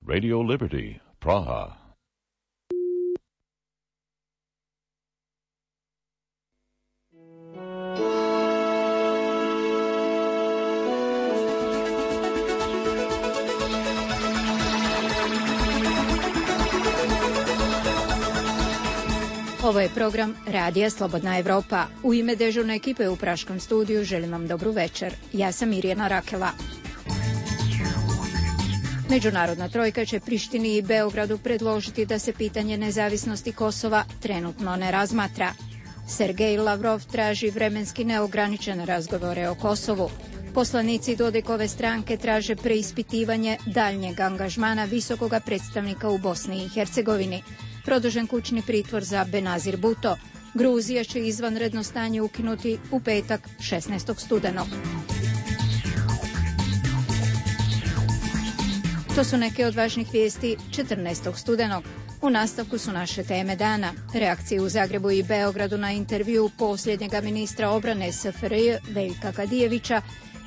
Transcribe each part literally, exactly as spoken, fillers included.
Radio Liberty, Praha. Ovo je program Radija Slobodna Evropa. U ime dežurne ekipe u Praškom studiju želim vam dobru večer. Ja sam Mirjana Rakela. Međunarodna trojka će Prištini i Beogradu predložiti da se pitanje nezavisnosti Kosova trenutno ne razmatra. Sergej Lavrov traži vremenski neograničene razgovore o Kosovu. Poslanici Dodikove stranke traže preispitivanje daljnjeg angažmana visokoga predstavnika u Bosni i Hercegovini. Produžen kućni pritvor za Benazir Bhutto. Gruzija će izvanredno stanje ukinuti u petak šesnaestog studenog. To su neke od važnih vijesti četrnaestog studenog. U nastavku su naše teme dana. Reakcije u Zagrebu i Beogradu na intervju posljednjega ministra obrane S F R J Veljka Kadijevića,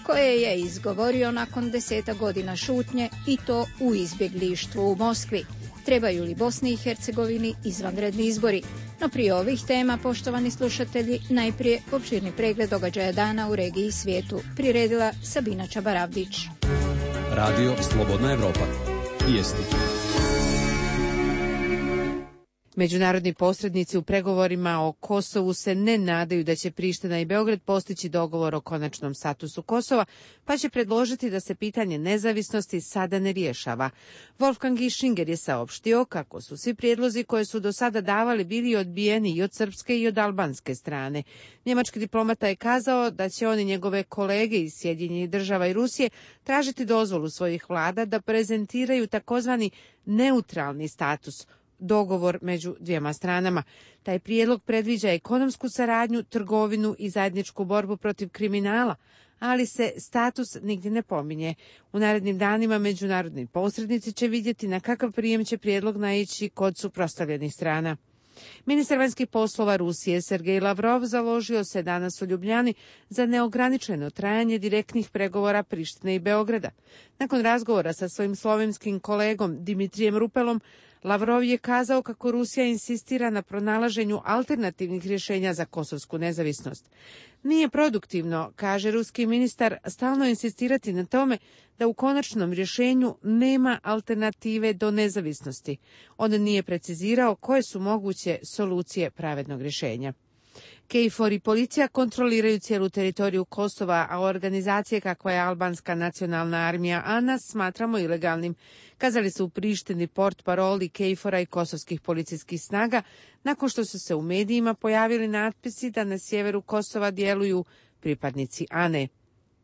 koje je izgovorio nakon deseta godina šutnje i to u izbjeglištvu u Moskvi. Trebaju li Bosni i Hercegovini izvanredni izbori? No prije ovih tema, poštovani slušatelji, najprije opširni pregled događaja dana u regiji i svijetu. Priredila Sabina Čabaravdić. Radio Slobodna Evropa. Vijesti. Međunarodni posrednici u pregovorima o Kosovu se ne nadaju da će Priština i Beograd postići dogovor o konačnom statusu Kosova, pa će predložiti da se pitanje nezavisnosti sada ne rješava. Wolfgang Ischinger je saopštio kako su svi prijedlozi koje su do sada davali bili odbijeni i od srpske i od albanske strane. Njemački diplomata je kazao da će oni njegove kolege iz Sjedinjenih Država i Rusije tražiti dozvolu svojih vlada da prezentiraju takozvani neutralni status, dogovor među dvijema stranama. Taj prijedlog predviđa ekonomsku saradnju, trgovinu i zajedničku borbu protiv kriminala, ali se status nigdje ne pominje. U narednim danima međunarodni posrednici će vidjeti na kakav prijem će prijedlog naići kod suprotstavljenih strana. Ministar vanjskih poslova Rusije Sergej Lavrov založio se danas u Ljubljani za neograničeno trajanje direktnih pregovora Prištine i Beograda. Nakon razgovora sa svojim slovenskim kolegom Dimitrijem Rupelom, Lavrov je kazao kako Rusija insistira na pronalaženju alternativnih rješenja za kosovsku nezavisnost. Nije produktivno, kaže ruski ministar, stalno insistirati na tome da u konačnom rješenju nema alternative do nezavisnosti. On nije precizirao koje su moguće solucije pravednog rješenja. KFOR i policija kontroliraju cijelu teritoriju Kosova, a organizacije kakva je Albanska nacionalna armija A N A smatramo ilegalnim. Kazali su u Prištini portparoli KFOR-a i kosovskih policijskih snaga, nakon što su se u medijima pojavili natpisi da na sjeveru Kosova djeluju pripadnici A N E.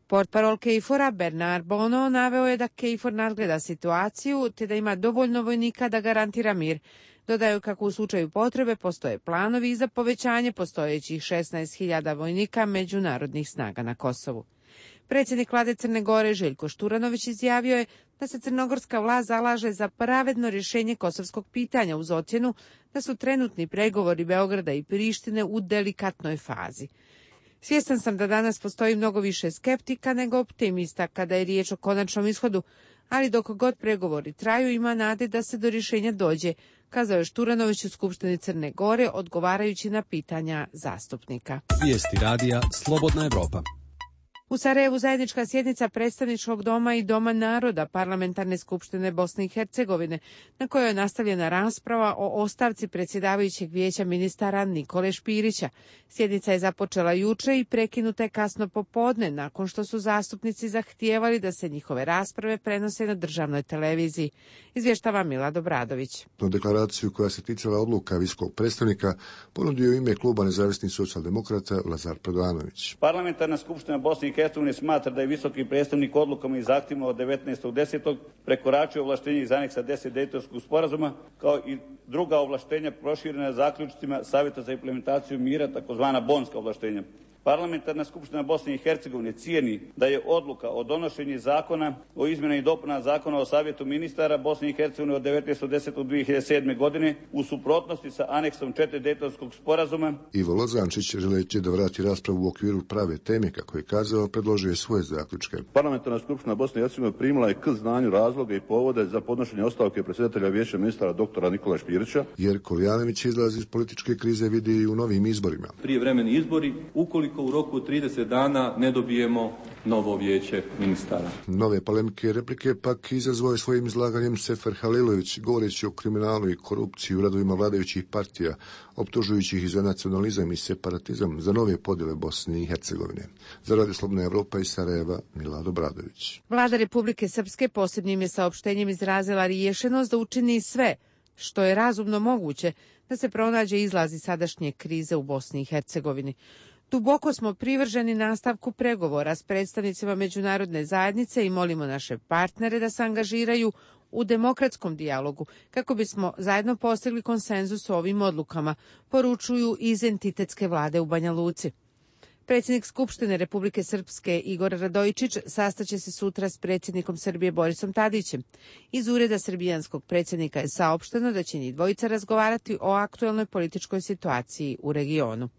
Portparol KFOR-a Bernard Bono naveo je da KFOR nadgleda situaciju te da ima dovoljno vojnika da garantira mir. Dodaju kako u slučaju potrebe postoje planovi za povećanje postojećih šesnaest hiljada vojnika međunarodnih snaga na Kosovu. Predsjednik vlade Crne Gore Željko Šturanović izjavio je da se crnogorska vlast zalaže za pravedno rješenje kosovskog pitanja uz ocjenu da su trenutni pregovori Beograda i Prištine u delikatnoj fazi. Svjestan sam da danas postoji mnogo više skeptika nego optimista kada je riječ o konačnom ishodu, ali dok god pregovori traju ima nade da se do rješenja dođe, kazao je Šturanović u Skupštini Crne Gore odgovarajući na pitanja zastupnika. Vijesti radija Slobodna Evropa. U Sarajevu zajednička sjednica Predstavničkog doma i Doma naroda Parlamentarne skupštine Bosne i Hercegovine, na kojoj je nastavljena rasprava o ostavci predsjedavajućeg vijeća ministara Nikole Špirića. Sjednica je započela juče i prekinuta je kasno popodne, nakon što su zastupnici zahtijevali da se njihove rasprave prenose na državnoj televiziji. Izvještava Milad Obradović. No deklaraciju koja se ticala odluka visokog predstavnika ponudio u ime kluba nezavisnih socijaldemokrata Lazar Predanović. Parlamentarna skupština Bosne i Hercegovine smatra da je visoki predstavnik odlukama i zahtjevima od devetnaestog desetog prekoračio ovlaštenje iz aneksa deset Dejtonskog sporazuma, kao i druga ovlaštenja proširena zaključcima Savjeta za implementaciju mira, takozvana bonska ovlaštenja. Parlamentarna skupština Bosne i Hercegovine cijeni da je odluka o donošenju zakona o izmjenama i dopunama Zakona o Savjetu ministara Bosne i Hercegovine od devetnaestog desetog dve hiljade sedme. godine u suprotnosti sa aneksom četiri Dejtonskog sporazuma. Ivo Lozančić, želeći da vrati raspravu u okviru prave teme, kako je kazao, predložio je svoje zaključke. Parlamentarna skupština Bosne i Hercegovine primila je k znanju razloge i povode za podnošenje ostavke predsjedatelja Vijeća ministara doktora Nikola Špirića. Jer Koljanović izlazi iz političke krize vidi i u novim izborima. Prijevremeni izbori, ukoliko u roku trideset dana ne dobijemo novo vijeće ministara. Nove polemike i replike pak izazvao je svojim izlaganjem Sefer Halilović, govoreći o kriminalu i korupciji u radovima vladajućih partija, optužujući ih za nacionalizam i separatizam, za nove podjele Bosne i Hercegovine. Za Radio Slobodna Evropa iz Sarajeva, Milado Bradović. Vlada Republike Srpske posebnim je saopštenjem izrazila rješenost da učini sve što je razumno moguće da se pronađe izlaz iz sadašnje krize u Bosni i Hercegovini. Duboko smo privrženi nastavku pregovora s predstavnicima međunarodne zajednice i molimo naše partnere da se angažiraju u demokratskom dijalogu kako bismo zajedno postigli konsenzus o ovim odlukama, poručuju iz entitetske vlade u Banja Luci. Predsjednik Skupštine Republike Srpske Igor Radojičić sastaće se sutra s predsjednikom Srbije Borisom Tadićem. Iz ureda srbijanskog predsjednika je saopšteno da će njih dvojica razgovarati o aktuelnoj političkoj situaciji u regionu.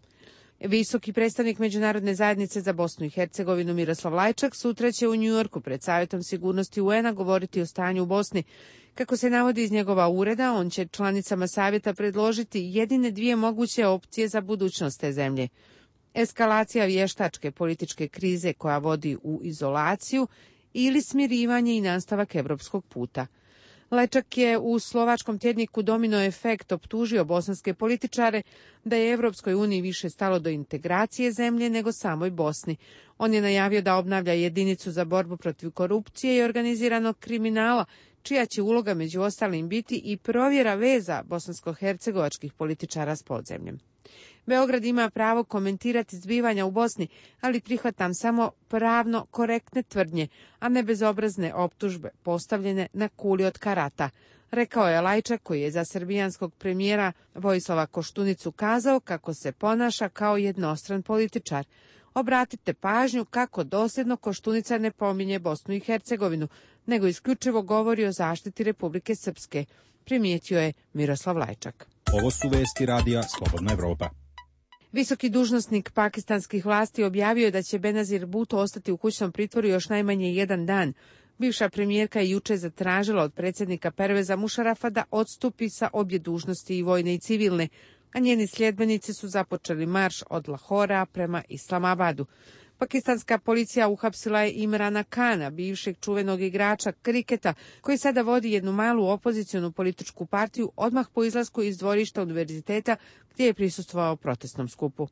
Visoki predstavnik Međunarodne zajednice za Bosnu i Hercegovinu Miroslav Lajčak sutra će u Njujorku pred Savjetom sigurnosti U N a govoriti o stanju u Bosni. Kako se navodi iz njegova ureda, on će članicama Savjeta predložiti jedine dvije moguće opcije za budućnost te zemlje. Eskalacija vještačke političke krize koja vodi u izolaciju ili smirivanje i nastavak evropskog puta. Lečak je u slovačkom tjedniku Domino efekt optužio bosanske političare da je Evropskoj uniji više stalo do integracije zemlje nego samoj Bosni. On je najavio da obnavlja jedinicu za borbu protiv korupcije i organiziranog kriminala, čija će uloga među ostalim biti i provjera veza bosansko-hercegovačkih političara s podzemljem. Beograd ima pravo komentirati zbivanja u Bosni, ali prihvatam samo pravno korektne tvrdnje, a ne bezobrazne optužbe postavljene na kuli od karata, rekao je Lajčak, koji je za srbijanskog premijera Vojislava Koštunicu kazao kako se ponaša kao jednostran političar. Obratite pažnju kako dosljedno Koštunica ne pominje Bosnu i Hercegovinu, nego isključivo govori o zaštiti Republike Srpske, primijetio je Miroslav Lajčak. Ovo su vesti radija Slobodna Evropa. Visoki dužnosnik pakistanskih vlasti objavio je da će Benazir Bhutto ostati u kućnom pritvoru još najmanje jedan dan. Bivša premijerka je juče zatražila od predsjednika Perveza Mušarafa da odstupi sa obje dužnosti, i vojne i civilne, a njeni sljedbenici su započeli marš od Lahora prema Islamabadu. Pakistanska policija uhapsila je Imrana Kana, bivšeg čuvenog igrača kriketa, koji sada vodi jednu malu opozicionu političku partiju odmah po izlasku iz dvorišta univerziteta gdje je prisustvovao protestnom skupu.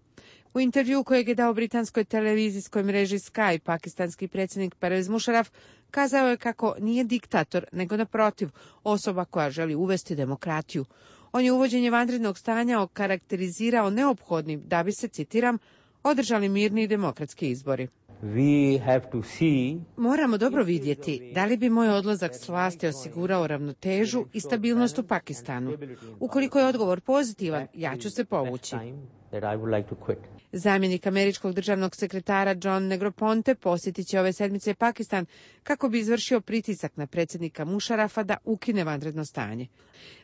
U intervju kojeg je dao britanskoj televizijskoj mreži Sky, pakistanski predsjednik Pervez Mušaraf kazao je kako nije diktator, nego naprotiv, osoba koja želi uvesti demokratiju. On je uvođenje vanrednog stanja okarakterizirao neophodnim da bi se, citiram, održali mirni i demokratski izbori. We have to see... Moramo dobro vidjeti da li bi moj odlazak s vlasti osigurao ravnotežu i stabilnost u Pakistanu. Ukoliko je odgovor pozitivan, ja ću se povući. Zamjenik američkog državnog sekretara John Negroponte posjetit će ove sedmice Pakistan kako bi izvršio pritisak na predsjednika Mušarafa da ukine vanredno stanje.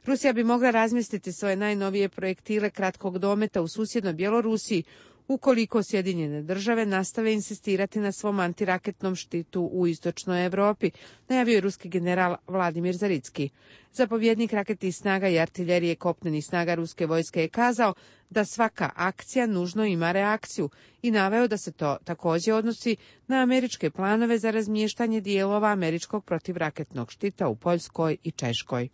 Rusija bi mogla razmjestiti svoje najnovije projektile kratkog dometa u susjednoj Bjelorusiji ukoliko Sjedinjene države nastave insistirati na svom antiraketnom štitu u istočnoj Europi, najavio je ruski general Vladimir Zaricki. Zapovjednik raketnih snaga i artiljerije kopnenih snaga ruske vojske je kazao da svaka akcija nužno ima reakciju i naveo da se to također odnosi na američke planove za razmještanje dijelova američkog protivraketnog štita u Poljskoj i Češkoj.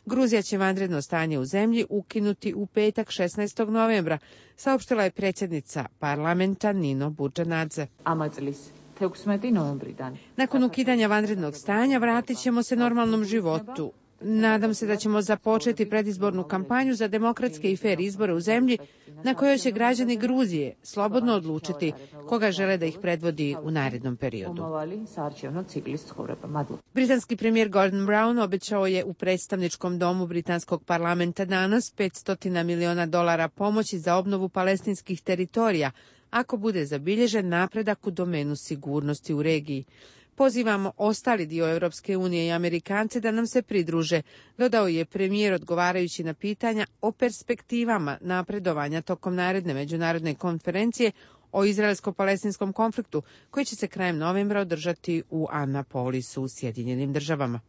Gruzija će vanredno stanje u zemlji ukinuti u petak šesnaestog novembra, saopštila je predsjednica parlamenta Nino Budžanadze. Nakon ukidanja vanrednog stanja vratit ćemo se normalnom životu. Nadam se da ćemo započeti predizbornu kampanju za demokratske i fer izbore u zemlji na kojoj će građani Gruzije slobodno odlučiti koga žele da ih predvodi u narednom periodu. Britanski premijer Gordon Brown obećao je u predstavničkom domu britanskog parlamenta danas petsto miliona dolara pomoći za obnovu palestinskih teritorija ako bude zabilježen napredak u domenu sigurnosti u regiji. Pozivamo ostali dio Europske unije i Amerikance da nam se pridruže, dodao je premijer odgovarajući na pitanja o perspektivama napredovanja tokom naredne međunarodne konferencije o izraelsko-palestinskom konfliktu koji će se krajem novembra održati u Annapolisu u Sjedinjenim državama.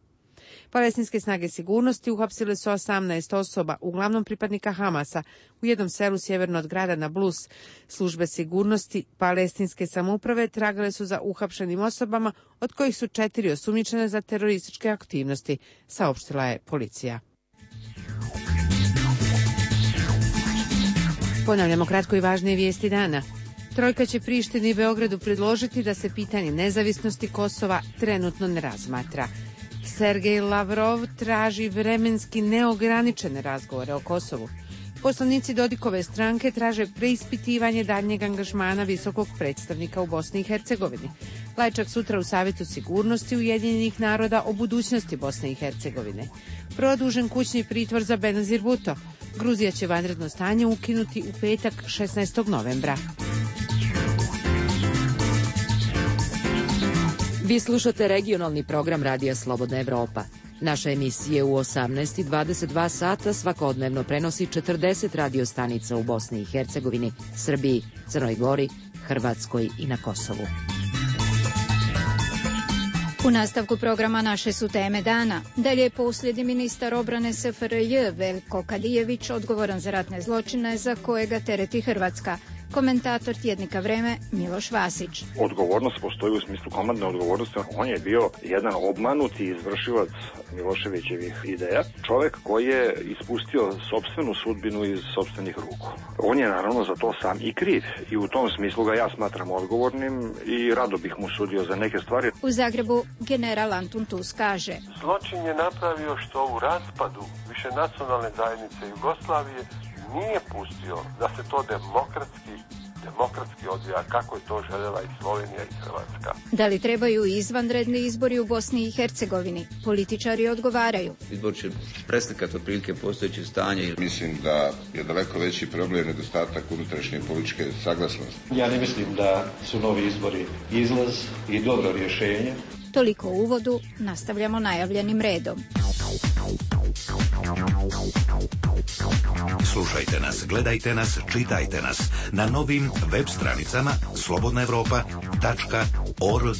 Palestinske snage sigurnosti uhapsile su osamnaest osoba, uglavnom pripadnika Hamasa, u jednom selu sjeverno od grada Nablus. Službe sigurnosti palestinske samouprave tragale su za uhapšenim osobama, od kojih su četiri osumnjičene za terorističke aktivnosti, saopštila je policija. Ponavljamo kratko i važnije vijesti dana. Trojka će Prištini i Beogradu predložiti da se pitanje nezavisnosti Kosova trenutno ne razmatra. Sergej Lavrov traži vremenski neograničene razgovore o Kosovu. Poslanici Dodikove stranke traže preispitivanje daljnjeg angažmana visokog predstavnika u Bosni i Hercegovini. Lajčak sutra u Savjetu sigurnosti Ujedinjenih naroda o budućnosti Bosne i Hercegovine. Produžen kućni pritvor za Benazir Bhutto. Gruzija će vanredno stanje ukinuti u petak šesnaestog novembra. Vi slušate regionalni program Radija Slobodna Evropa. Naše emisije u osamnaest i dvadeset dva sata svakodnevno prenosi četrdeset radio stanica u Bosni i Hercegovini, Srbiji, Crnoj Gori, Hrvatskoj i na Kosovu. U nastavku programa naše su teme dana. Dalje je posljednji ministar obrane S F R J Veljko Kadijević odgovoran za ratne zločine za koje ga tereti Hrvatska. Komentator tjednika Vreme Miloš Vasić. Odgovornost postoji u smislu komandne odgovornosti. On je bio jedan obmanuti izvršilac Miloševićevih ideja. Čovjek koji je ispustio sopstvenu sudbinu iz sopstvenih ruku. On je naravno za to sam i kriv. I u tom smislu ga ja smatram odgovornim i rado bih mu sudio za neke stvari. U Zagrebu general Antun Tus kaže: zločin je napravio što u raspadu više nacionalne zajednice Jugoslavije nije pustio da se to demokratski, demokratski odvija kako je to željela i Slovenija i Hrvatska. Da li trebaju izvanredni izbori u Bosni i Hercegovini? Političari odgovaraju. Izbor će preslikati otprilike postojeće stanje. Mislim da je daleko veći problem nedostatak unutrašnje političke saglasnosti. Ja ne mislim da su novi izbori izlaz i dobro rješenje. Toliko u uvodu, nastavljamo najavljenim redom. Slušajte nas, gledajte nas, čitajte nas na novim web stranicama slobodna evropa tačka org.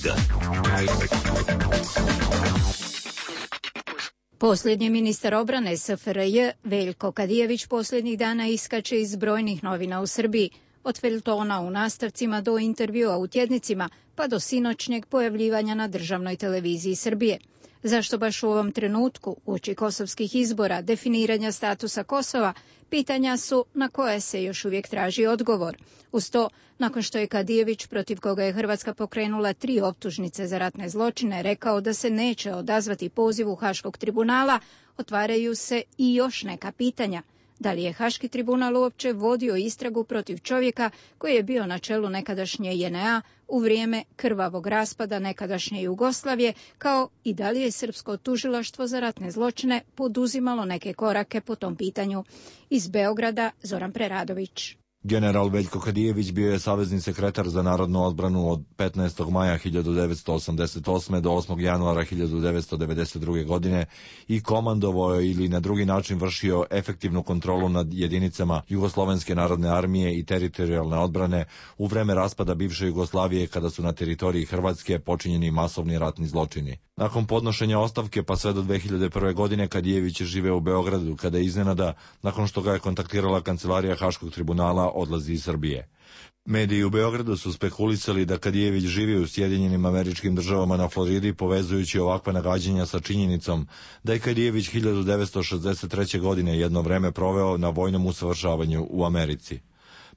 Posljednji ministar obrane S F R J Veljko Kadijević posljednjih dana iskače iz brojnih novina u Srbiji. Od feljtona u nastavcima do intervjua u tjednicima, pa do sinoćnjeg pojavljivanja na državnoj televiziji Srbije. Zašto baš u ovom trenutku, uoči kosovskih izbora, definiranja statusa Kosova, pitanja su na koje se još uvijek traži odgovor. Uz to, nakon što je Kadijević, protiv koga je Hrvatska pokrenula tri optužnice za ratne zločine, rekao da se neće odazvati pozivu Haškog tribunala, otvaraju se i još neka pitanja. Da li je Haški tribunal uopće vodio istragu protiv čovjeka koji je bio na čelu nekadašnje J N A u vrijeme krvavog raspada nekadašnje Jugoslavije, kao i da li je Srpsko tužilaštvo za ratne zločine poduzimalo neke korake po tom pitanju. Iz Beograda Zoran Preradović. General Veljko Kadijević bio je savezni sekretar za narodnu odbranu od petnaestog maja hiljadu devetsto osamdeset osme do osmog januara hiljadu devetsto devedeset druge. godine i komandovao je ili na drugi način vršio efektivnu kontrolu nad jedinicama Jugoslovenske narodne armije i teritorijalne odbrane u vreme raspada bivše Jugoslavije kada su na teritoriji Hrvatske počinjeni masovni ratni zločini. Nakon podnošenja ostavke pa sve do dve hiljade prve. godine Kadijević je živeo u Beogradu kada je iznenada, nakon što ga je kontaktirala kancelarija Haškog tribunala, odlazi iz Srbije. Mediji u Beogradu su spekulisali da Kadijević živi u Sjedinjenim Američkim Državama na Floridi, povezujući ovakva nagađanja sa činjenicom da je Kadijević hiljadu devetsto šezdeset treće. godine jedno vreme proveo na vojnom usavršavanju u Americi.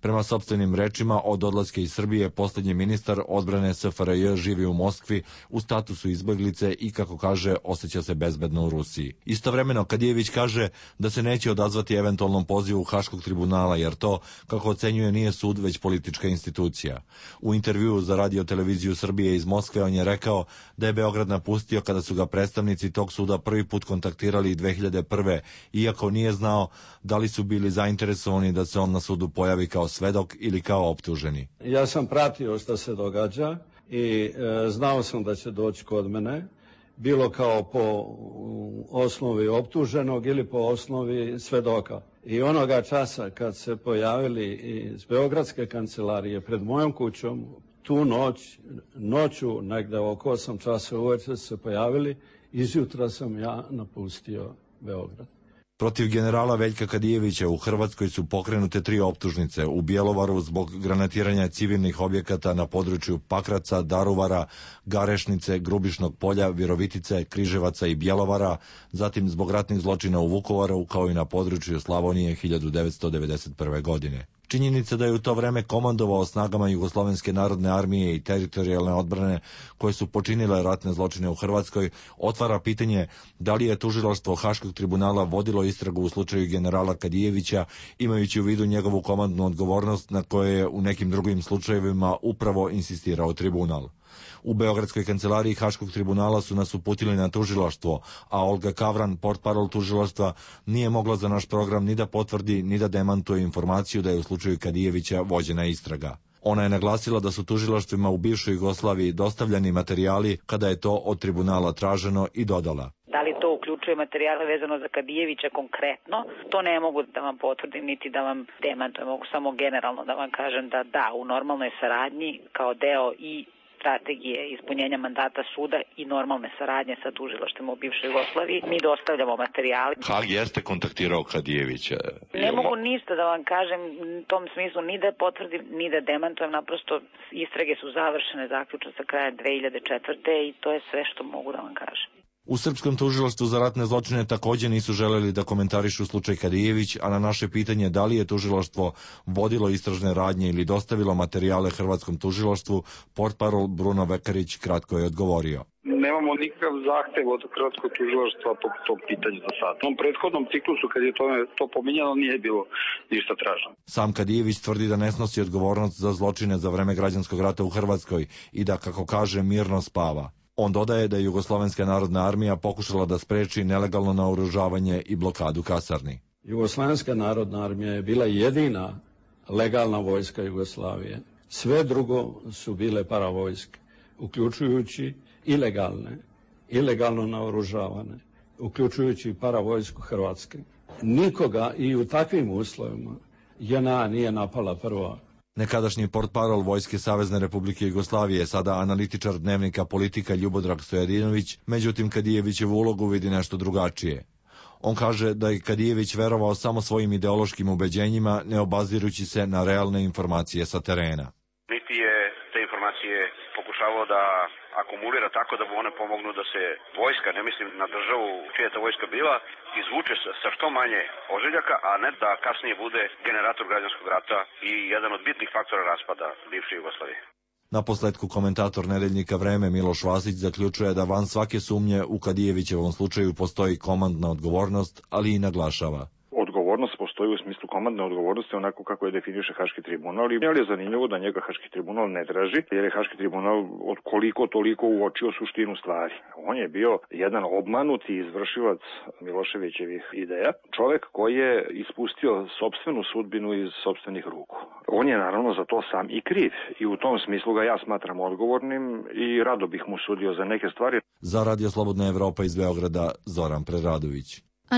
Prema sopstvenim rečima, od odlaska iz Srbije posljednji ministar odbrane S F R J živi u Moskvi u statusu izbeglice i, kako kaže, osjeća se bezbedno u Rusiji. Istovremeno, Kadijević kaže da se neće odazvati eventualnom pozivu Haškog tribunala, jer to, kako ocenjuje, nije sud, već politička institucija. U intervjuu za Radio televiziju Srbije iz Moskve on je rekao da je Beograd napustio kada su ga predstavnici tog suda prvi put kontaktirali dve hiljade prve, iako nije znao da li su bili zainteresovani da se on na sudu pojavi kao svedok ili kao optuženi. Ja sam pratio što se događa i e, znao sam da će doći kod mene, bilo kao po osnovi optuženog ili po osnovi svedoka. I onoga časa kad se pojavili iz Beogradske kancelarije pred mojom kućom, tu noć, noću, negde oko osam časa uveče se pojavili, izjutra sam ja napustio Beograd. Protiv generala Veljka Kadijevića u Hrvatskoj su pokrenute tri optužnice: u Bjelovaru zbog granatiranja civilnih objekata na području Pakraca, Daruvara, Garešnice, Grubišnog polja, Virovitice, Križevaca i Bjelovara, zatim zbog ratnih zločina u Vukovaru, kao i na području Slavonije hiljadu devetsto devedeset prve. godine. Činjenica da je u to vreme komandovao snagama Jugoslovenske narodne armije i teritorijalne odbrane koje su počinile ratne zločine u Hrvatskoj otvara pitanje da li je tužilaštvo Haškog tribunala vodilo istragu u slučaju generala Kadijevića, imajući u vidu njegovu komandnu odgovornost na koje je u nekim drugim slučajevima upravo insistirao tribunal. U Beogradskoj kancelariji Haškog tribunala su nas uputili na tužilaštvo, a Olga Kavran, portparol tužilaštva, nije mogla za naš program ni da potvrdi ni da demantuje informaciju da je u slučaju Kadijevića vođena istraga. Ona je naglasila da su tužilaštvima u bivšoj Jugoslaviji dostavljani materijali kada je to od tribunala traženo i dodala: da li to uključuje materijale vezano za Kadijevića konkretno, to ne mogu da vam potvrdim niti da vam demantujem, mogu samo generalno da vam kažem da da, u normalnoj saradnji kao deo i strategije ispunjenja mandata suda i normalne saradnje sa tužilaštvima u bivšoj Jugoslaviji, mi dostavljamo materijale. Hag jeste kontaktirao Kadijevića? Ne mogu ništa da vam kažem u tom smislu, ni da potvrdim, ni da demantujem, naprosto istrage su završene zaključno sa kraja dve hiljade četvrte. i to je sve što mogu da vam kažem. U Srpskom tužilaštvu za ratne zločine također nisu želeli da komentarišu slučaj Kadijević, a na naše pitanje da li je tužilaštvo vodilo istražne radnje ili dostavilo materijale Hrvatskom tužilaštvu, portparol Bruno Vekarić kratko je odgovorio: nemamo nikakav zahtev od Hrvatskog tužilaštva po tom pitanju za sad. U tom prethodnom ciklusu, kad je to, to pominjano, nije bilo ništa traženo. Sam Kadijević tvrdi da ne snosi odgovornost za zločine za vreme građanskog rata u Hrvatskoj i da, kako kaže, mirno spava. On dodaje da je Jugoslovenska narodna armija pokušala da spreči nelegalno naoružavanje i blokadu kasarni. Jugoslovenska narodna armija je bila jedina legalna vojska Jugoslavije. Sve drugo su bile paravojske, uključujući ilegalne, ilegalno naoružavane, uključujući paravojsku Hrvatske. Nikoga i u takvim uslovima J N A nije napala prva. Nekadašnji portparol Vojske Savezne Republike Jugoslavije, sada analitičar dnevnika Politika Ljubodrag Stojadinović, međutim Kadijevićevu ulogu vidi nešto drugačije. On kaže da je Kadijević verovao samo svojim ideološkim ubeđenjima, ne obazirući se na realne informacije sa terena. Niti je te informacije pokušavao da akumulira tako da mu one pomognu da se vojska, ne mislim na državu čija je ta vojska bila, izvuče sa što manje ožiljaka, a ne da kasnije bude generator građanskog rata i jedan od bitnih faktora raspada bivše Jugoslavije. Na posledku komentator nedeljnika Vreme Miloš Vasić zaključuje da van svake sumnje u Kadijevićevom slučaju postoji komandna odgovornost, ali i naglašava: odgovornost postoji u smislu komandne odgovornosti onako kako je definiše Haški tribunal, i je zanimljivo da njega Haški tribunal ne traži, jer je Haški tribunal od koliko toliko uočio suštinu stvari. On je bio jedan obmanuti izvršilac Miloševićevih ideja, čovek koji je ispustio sopstvenu sudbinu iz sopstvenih ruku. On je naravno za to sam i kriv i u tom smislu ga ja smatram odgovornim i rado bih mu sudio za neke stvari. Za Radio Slobodna Evropa iz Beograda, Zoran Preradović.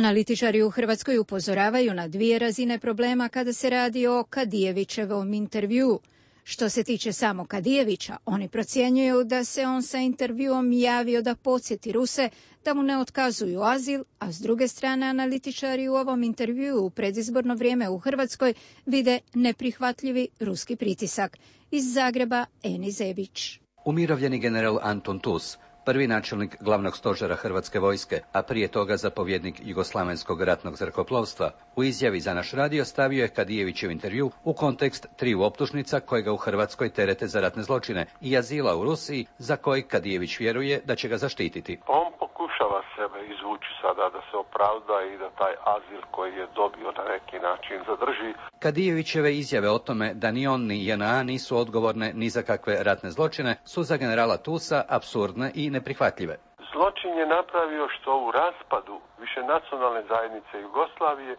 Analitičari u Hrvatskoj upozoravaju na dvije razine problema kada se radi o Kadijevićevom intervjuu. Što se tiče samo Kadijevića, oni procjenjuju da se on sa intervjuom javio da podsjeti Ruse da mu ne otkazuju azil, a s druge strane analitičari u ovom intervjuu u predizborno vrijeme u Hrvatskoj vide neprihvatljivi ruski pritisak. Iz Zagreba, Eni Zebić. Umirovljeni general Anton Tus prvi načelnik glavnog stožera Hrvatske vojske, a prije toga zapovjednik Jugoslavenskog ratnog zrakoplovstva, u izjavi za naš radio stavio je Kadijevićev intervju u kontekst triju optužnica koje ga u Hrvatskoj terete za ratne zločine i azila u Rusiji, za koji Kadijević vjeruje da će ga zaštititi. On pokušava sebe izvući sada da se opravda i da taj azil koji je dobio na neki način zadrži. Kadijevićeve izjave o tome da ni on ni J N A nisu odgovorne ni za kakve ratne zločine su za generala Tusa apsurdne i neprihvatljive. Zločin je napravio što u raspadu više nacionalne zajednice Jugoslavije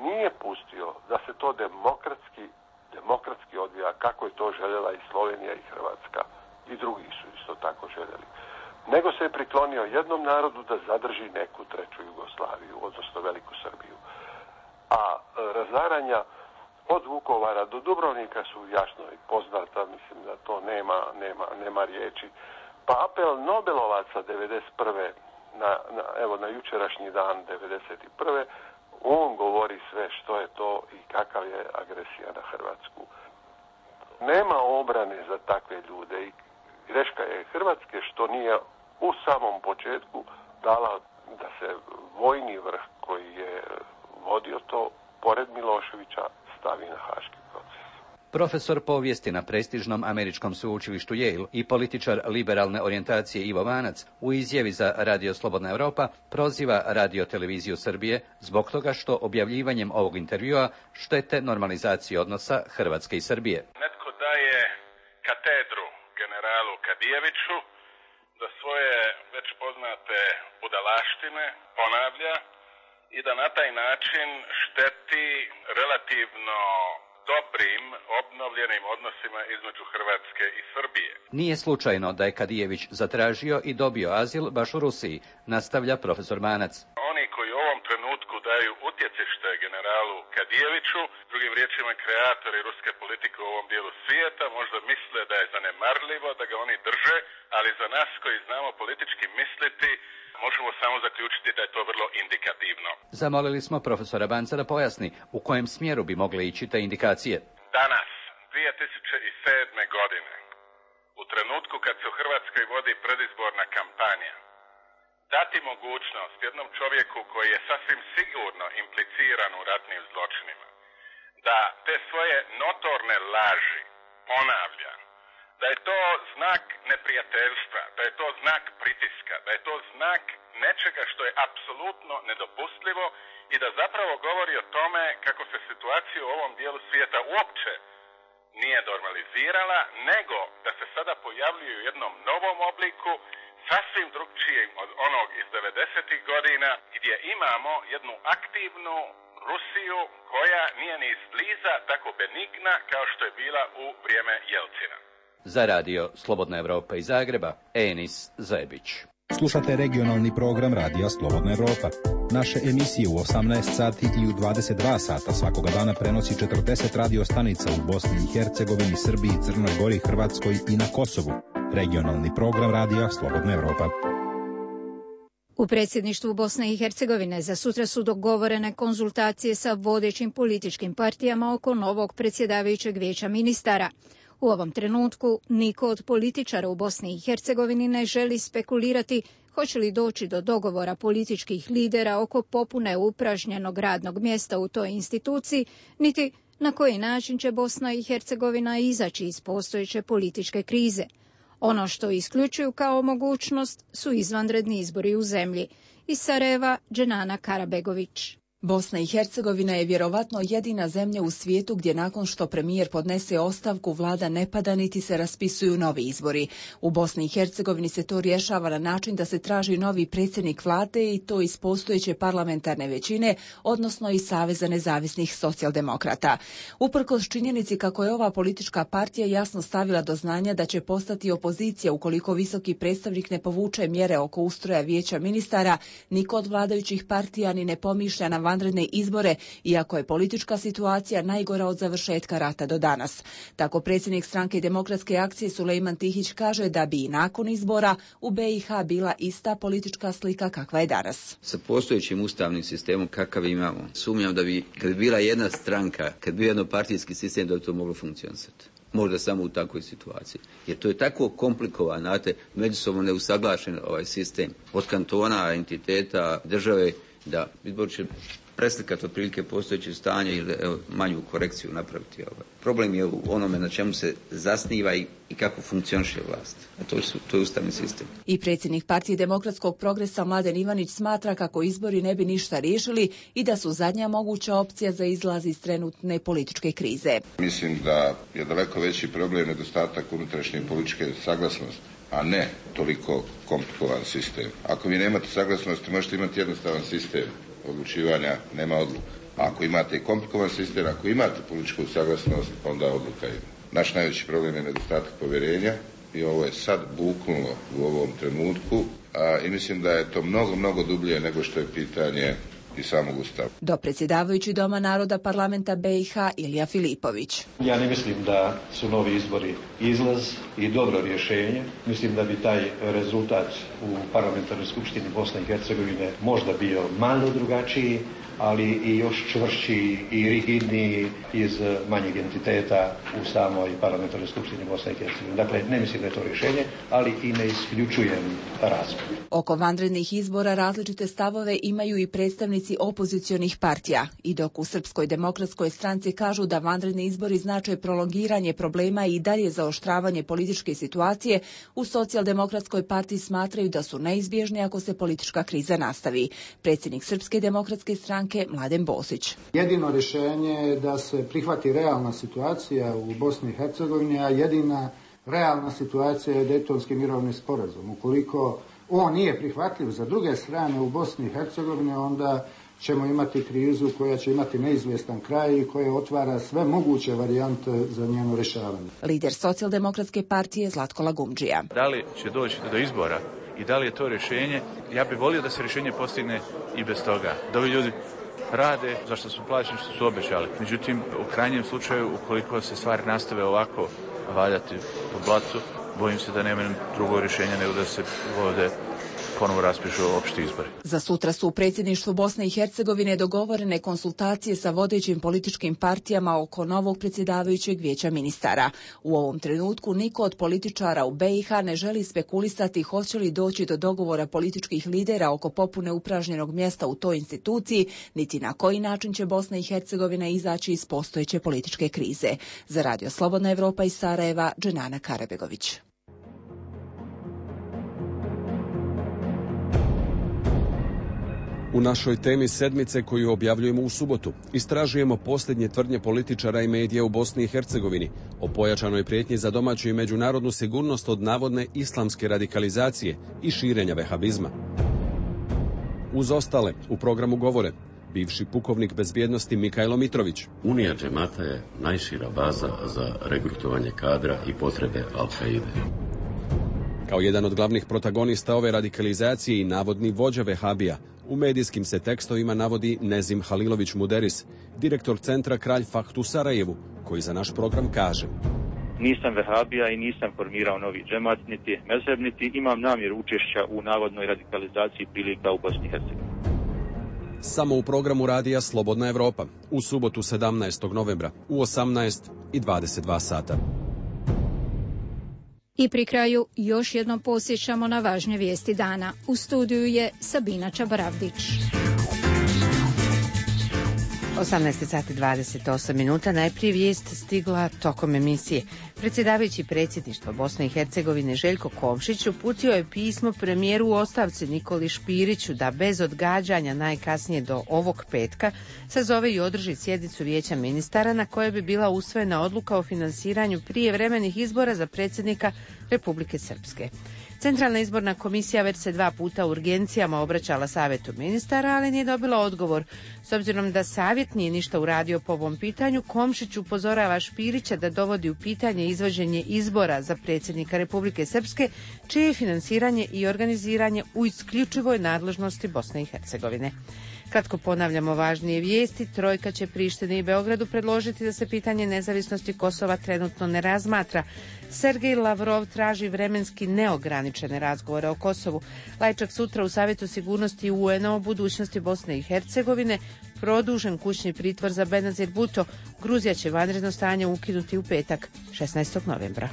nije pustio da se to demokratski, demokratski odvija kako je to željela i Slovenija i Hrvatska i drugi su isto tako željeli. Nego se je priklonio jednom narodu da zadrži neku treću Jugoslaviju, odnosno Veliku Srbiju. A razaranja od Vukovara do Dubrovnika su jasno i poznata, mislim da to nema, nema, nema riječi. Pa apel Nobelovaca devedeset prve na, na, evo, na jučerašnji dan devedeset prve on govori sve što je to i kakav je agresija na Hrvatsku. Nema obrane za takve ljude i greška je Hrvatske što nije u samom početku dala da se vojni vrh koji je vodio to pored Miloševića stavi na Haški proces. Profesor povijesti na prestižnom američkom sveučilištu Yale i političar liberalne orijentacije Ivo Vanac u izjavi za Radio Slobodna Europa proziva Radio-televiziju Srbije zbog toga što objavljivanjem ovog intervjua štete normalizaciji odnosa Hrvatske i Srbije. Netko daje katedru generalu Kadijeviću da svoje već poznate budalaštine ponavlja i da na taj način šteti relativno dobrim, obnovljenim odnosima između Hrvatske i Srbije. Nije slučajno da je Kadijević zatražio i dobio azil baš u Rusiji, nastavlja profesor Manac. Oni koji u ovom trenutku daju utjecište generalu Kadijeviću, drugim riječima kreatori ruske politike u ovom dijelu svijeta, možda misle da je zanemarljivo da ga oni drže, ali za nas koji znamo politički misliti, možemo samo zaključiti da je to vrlo indikativno. Zamolili smo profesora Banca da pojasni u kojem smjeru bi mogle ići te indikacije. Danas, dvije tisuće sedme. godine, u trenutku kad se u Hrvatskoj vodi predizborna kampanja, dati mogućnost jednom čovjeku koji je sasvim sigurno impliciran u ratnim zločinima, da te svoje notorne laži ponavlja, da je to znak neprijateljstva, da je to znak pritiska, da je to znak nečega što je apsolutno nedopustljivo i da zapravo govori o tome kako se situacija u ovom dijelu svijeta uopće nije normalizirala, nego da se sada pojavljuju u jednom novom obliku, sasvim drugčijim od onog iz devedesetih godina, gdje imamo jednu aktivnu Rusiju koja nije ni izbliza tako benigna kao što je bila u vrijeme Jelcina. Za radio Slobodna Evropa iz Zagreba, Enis Zebić. Slušate regionalni program Radija Slobodna Evropa. Naše emisije u osamnaest sati i u dvadeset dva sata svakoga dana prenosi četrdeset radio stanica u Bosni i Hercegovini, Srbiji, Crnoj Gori, Hrvatskoj i na Kosovu. Regionalni program Radija Slobodna Evropa. U predsjedništvu Bosne i Hercegovine za sutra su dogovorene konzultacije sa vodećim političkim partijama oko novog predsjedavajućeg vijeća ministara. U ovom trenutku niko od političara u Bosni i Hercegovini ne želi spekulirati hoće li doći do dogovora političkih lidera oko popune upražnjenog radnog mjesta u toj instituciji, niti na koji način će Bosna i Hercegovina izaći iz postojeće političke krize. Ono što isključuju kao mogućnost su izvanredni izbori u zemlji. Iz Sarajeva, Dženana Karabegović. Bosna i Hercegovina je vjerovatno jedina zemlja u svijetu gdje nakon što premijer podnese ostavku vlada ne pada niti se raspisuju novi izbori. U Bosni i Hercegovini se to rješava na način da se traži novi predsjednik vlade i to iz postojeće parlamentarne većine, odnosno iz Saveza nezavisnih socijaldemokrata. Uprkos činjenici kako je ova politička partija jasno stavila do znanja da će postati opozicija ukoliko visoki predstavnik ne povuče mjere oko ustroja vijeća ministara, niko od vladajućih partija ni ne pomišlja na vanredne izbore, iako je politička situacija najgora od završetka rata do danas. Tako predsjednik stranke Demokratske akcije Sulejman Tihić kaže da bi i nakon izbora u B i H bila ista politička slika kakva je danas. Sa postojećim ustavnim sistemom kakav imamo, sumnjam da bi, kad bi bila jedna stranka, kad bi bio jednopartijski sistem, da bi to moglo funkcionisati. možda samo u takvoj situaciji. Jer to je tako komplikovan, znate, međusobno neusaglašen ovaj sistem od kantona, entiteta, države, da izbor će preslikati otprilike postojeće stanje ili evo, manju korekciju napraviti. Ovaj. Problem je u onome na čemu se zasniva i, i kako funkcioniše vlast. A to, su, to je ustavni sistem. I predsjednik Partije demokratskog progresa Mladen Ivanić smatra kako izbori ne bi ništa riješili i da su zadnja moguća opcija za izlaz iz trenutne političke krize. Mislim da je daleko veći problem nedostatak unutrašnje političke saglasnosti, a ne toliko komplikovan sistem. Ako vi nemate saglasnosti, možete imati jednostavan sistem odlučivanja, nema odluka. A ako imate komplikovan sistem, ako imate političku saglasnost, onda odluka ima. Naš najveći problem je nedostatak povjerenja i ovo je sad buknulo u ovom trenutku a, i mislim da je to mnogo, mnogo dublje nego što je pitanje i samog Ustava. Do predsjedavajući Doma naroda parlamenta B i H Ilija Filipović. Ja ne mislim da su novi izbori izlaz i dobro rješenje. Mislim da bi taj rezultat u parlamentarnoj skupštini Bosne i Hercegovine možda bio malo drugačiji, ali i još čvršći i rigidniji iz manjeg entiteta u samoj parlamentarnoj skupštini Bosne i Hercegovine. Dakle, ne mislim da je to rješenje, ali i ne isključujem razgovor. Oko vanrednih izbora različite stavove imaju i predstavnici opozicionih partija. I dok u Srpskoj demokratskoj stranci kažu da vanredni izbori znače prolongiranje problema i dalje zaoštravanje političke situacije, u Socijaldemokratskoj partiji smatraju da su neizbježni ako se politička kriza nastavi. Predsjednik Srpske demokratske stranke Mladen Bosić. Jedino rješenje je da se prihvati realna situacija u Bosni i Hercegovini, a jedina realna situacija je Dejtonski mirovni sporazum. Ukoliko on nije prihvatljiv za druge strane u Bosni i Hercegovini, onda ćemo imati krizu koja će imati neizvjestan kraj i koja otvara sve moguće varijante za njeno rješavanje. Lider Socijaldemokratske partije Zlatko Lagumdžija. Da li će doći do izbora i da li je to rješenje? Ja bih volio da se rješenje postigne i bez toga. Da ovi ljudi rade zašto su plaćeni, što su obećali. Međutim, u krajnjem slučaju, ukoliko se stvari nastave ovako valjati po blacu, bojim se da nema drugo rješenja nego da se ovdje ponovo raspišu opšti izbori. Za sutra su u predsjedništvu Bosne i Hercegovine dogovorene konsultacije sa vodećim političkim partijama oko novog predsjedavajućeg vijeća ministara. U ovom trenutku niko od političara u B i H ne želi spekulisati hoće li doći do dogovora političkih lidera oko popune upražnjenog mjesta u toj instituciji, niti na koji način će Bosna i Hercegovina izaći iz postojeće političke krize. Za Radio Slobodna Evropa iz Sarajeva, Dženana Karabegović. U našoj temi sedmice koju objavljujemo u subotu istražujemo posljednje tvrdnje političara i medija u Bosni i Hercegovini o pojačanoj prijetnji za domaću i međunarodnu sigurnost od navodne islamske radikalizacije i širenja vehabizma. Uz ostale u programu govore bivši pukovnik bezbjednosti Mikajlo Mitrović. Unija džemata je najšira baza za regrutovanje kadra i potrebe Al-Kaide. Kao jedan od glavnih protagonista ove radikalizacije i navodni vođa vehabija, u medijskim se tekstovima navodi Nezim Halilović Muderis, direktor centra Kralj Fahd u Sarajevu, koji za naš program kaže: Nisam vehabija i nisam formirao novi džemat, niti mezheb, niti imam namjeru učešća u navodnoj radikalizaciji prilika u Bosni i Hercegovini. Samo u programu radija Slobodna Evropa, u subotu sedamnaestog novembra u osamnaest i dvadeset dva sata. I pri kraju još jednom posjećamo na važne vijesti dana. U studiju je Sabina Čabaravdić. osamnaest sati dvadeset osam minuta. Najprije vijest stigla tokom emisije. Predsjedavajući predsjedništva Bosne i Hercegovine Željko Komšić uputio je pismo premijeru u ostavci Nikoli Špiriću da bez odgađanja najkasnije do ovog petka sazove i održi sjednicu vijeća ministara na kojoj bi bila usvojena odluka o finansiranju prijevremenih izbora za predsjednika Republike Srpske. Centralna izborna komisija već se dva puta u urgencijama obraćala savjetu ministara, ali nije dobila odgovor. S obzirom da savjet nije ništa uradio po ovom pitanju, Komšić upozorava Špirića da dovodi u pitanje izvođenje izbora za predsjednika Republike Srpske, čije je finansiranje i organiziranje u isključivoj nadležnosti Bosne i Hercegovine. Kratko ponavljamo važnije vijesti. Trojka će Prištini i Beogradu predložiti da se pitanje nezavisnosti Kosova trenutno ne razmatra. Sergej Lavrov traži vremenski neograničene razgovore o Kosovu. Lajčak sutra u Savjetu sigurnosti U N-a o budućnosti Bosne i Hercegovine produžen kućni pritvor za Benazir Bhutto. Gruzija će vanredno stanje ukinuti u petak, šesnaestog novembra.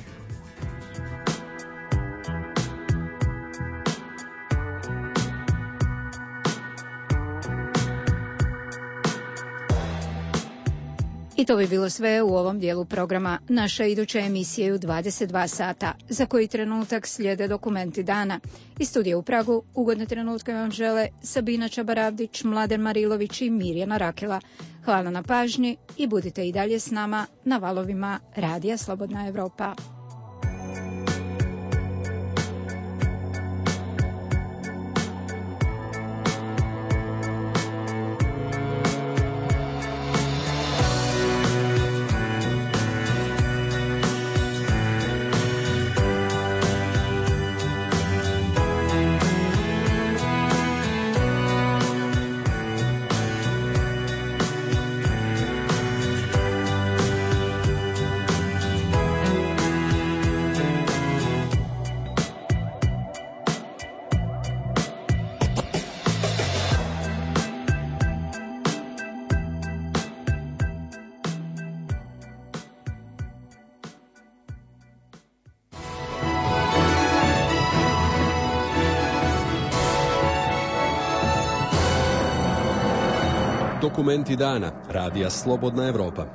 I to bi bilo sve u ovom dijelu programa. Naša iduća emisija je u dvadeset dva sata. Za koji trenutak slijede dokumenti dana. Iz studija u Pragu ugodne trenutke vam žele Sabina Čabaravdić, Mladen Marilović i Mirjana Rakela. Hvala na pažnji i budite i dalje s nama na valovima Radija Slobodna Evropa. Dokumenti dana. Radija Slobodna Evropa.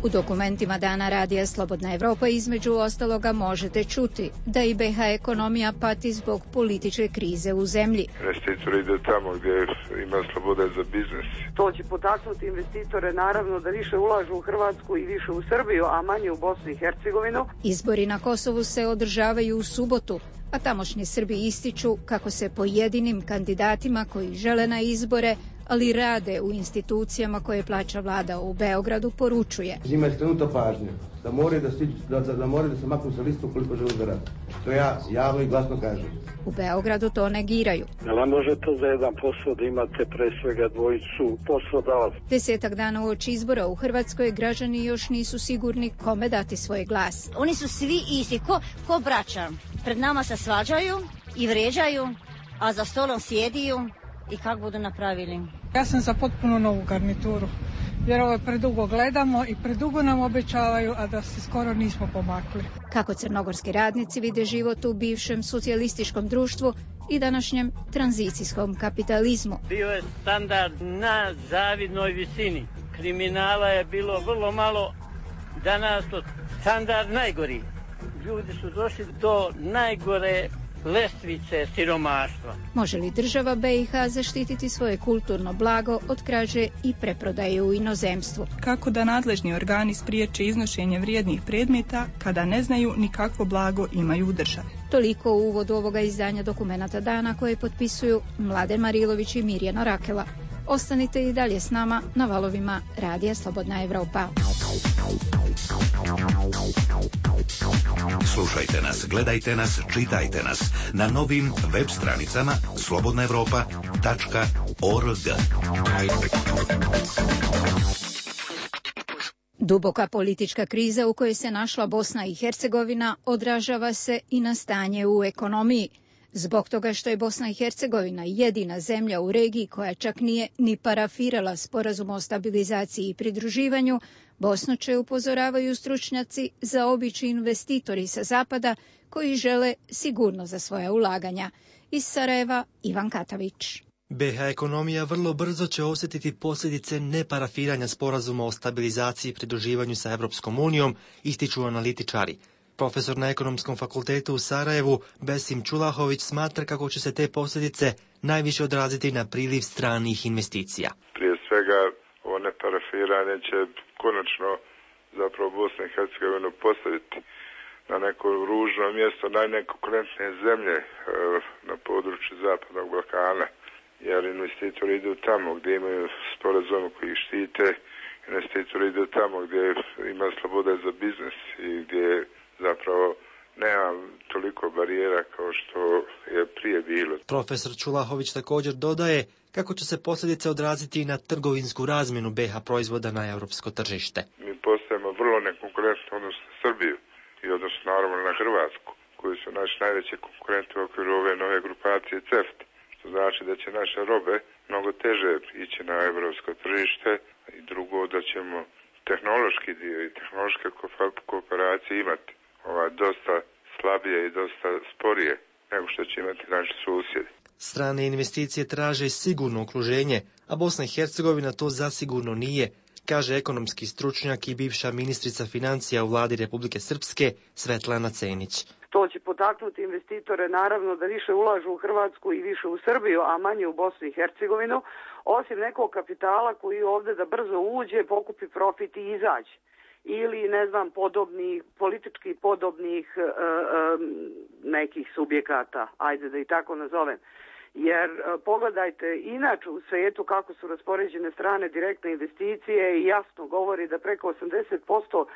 U dokumentima dana Radija Slobodna Evropa između ostaloga možete čuti da i be ha ekonomija pati zbog političke krize u zemlji. Investitori ide tamo gdje ima slobode za biznis. To će potaknuti investitore naravno da više ulažu u Hrvatsku i više u Srbiju, a manje u Bosnu i Hercegovinu. Izbori na Kosovu se održavaju u subotu, a tamošnji Srbi ističu kako se pojedinim kandidatima koji žele na izbore, ali rade u institucijama koje plaća vlada u Beogradu, poručuje. Njima je skrenuta pažnja da moraju da, stiđu, da, da, moraju da se maknu sa listu koliko žele da rade. To ja javno i glasno kažem. U Beogradu to negiraju. Ne može to za jedan posao da imate pre svega dvojicu poslodavaca. Desetak dana uoči izbora u Hrvatskoj građani još nisu sigurni kome dati svoj glas. Oni su svi isti, ko, ko braća. Pred nama se svađaju i vređaju, a za stolom sjediju i kako budu napravili. Ja sam za potpuno novu garnituru, jer ovo predugo gledamo i predugo nam obećavaju, a da se skoro nismo pomakli. Kako crnogorski radnici vide život u bivšem socijalističkom društvu i današnjem tranzicijskom kapitalizmu. Bio je standard na zavidnoj visini. Kriminala je bilo vrlo malo, danas to standard najgori. Ljudi su došli do najgore lestvice siromaštva. Može li država be i ha zaštititi svoje kulturno blago od krađe i preprodaje u inozemstvu? Kako da nadležni organi spriječe iznošenje vrijednih predmeta kada ne znaju ni kakvo blago imaju u državi? Toliko u uvodu ovoga izdanja dokumenata dana koje potpisuju Mladen Marilović i Mirjana Rakela. Ostanite i dalje s nama na valovima Radija Slobodna Evropa. Slušajte nas, gledajte nas, čitajte nas na novim web stranicama slobodna evropa tačka org. Duboka politička kriza u kojoj se našla Bosna i Hercegovina odražava se i na stanje u ekonomiji. Zbog toga što je Bosna i Hercegovina jedina zemlja u regiji koja čak nije ni parafirala sporazum o stabilizaciji i pridruživanju, Bosnu će, upozoravaju stručnjaci, zaobići investitori sa zapada koji žele sigurno za svoja ulaganja. Iz Sarajeva, Ivan Katavić. be ha ekonomija vrlo brzo će osjetiti posljedice neparafiranja sporazuma o stabilizaciji i pridruživanju sa Europskom unijom, ističu analitičari. Profesor na Ekonomskom fakultetu u Sarajevu, Besim Čulahović, smatra kako će se te posljedice najviše odraziti na priliv stranih investicija. Prije svega, ovo neparafiranje će konačno zapravo Bosnu i Hercegovinu postaviti na neko ružno mjesto najnekonkurentnije zemlje e, na području Zapadnog Balkana, jer investitori idu tamo gdje imaju sporazum koji ih štite, investitori idu tamo gdje ima slobode za biznis i gdje zapravo nema toliko barijera kao što je prije bilo. Profesor Čulahović također dodaje kako će se posljedice odraziti na trgovinsku razmjenu be ha proizvoda na europsko tržište. Mi postajemo vrlo nekonkurentni odnosno na Srbiju i odnosno naravno na Hrvatsku, koji su naši najveći konkurenti u okviru ove nove grupacije C E F T A, što znači da će naše robe mnogo teže ići na evropsko tržište i drugo da ćemo tehnološki dio i tehnološke kooperacije imati ovaj, dosta slabije i dosta sporije nego što će imati naši susjedi. Strane investicije traže sigurno okruženje, a Bosna i Hercegovina to zasigurno nije, kaže ekonomski stručnjak i bivša ministrica financija u vladi Republike Srpske Svetlana Cenić. To će potaknuti investitore naravno da više ulažu u Hrvatsku i više u Srbiju, a manje u Bosnu i Hercegovinu, osim nekog kapitala koji ovdje da brzo uđe, pokupi profit i izađe. Ili, ne znam, podobnih, politički podobnih e, e, nekih subjekata, ajde da i tako nazovem. Jer e, pogledajte inače u svijetu kako su raspoređene strane direktne investicije i jasno govori da preko osamdeset posto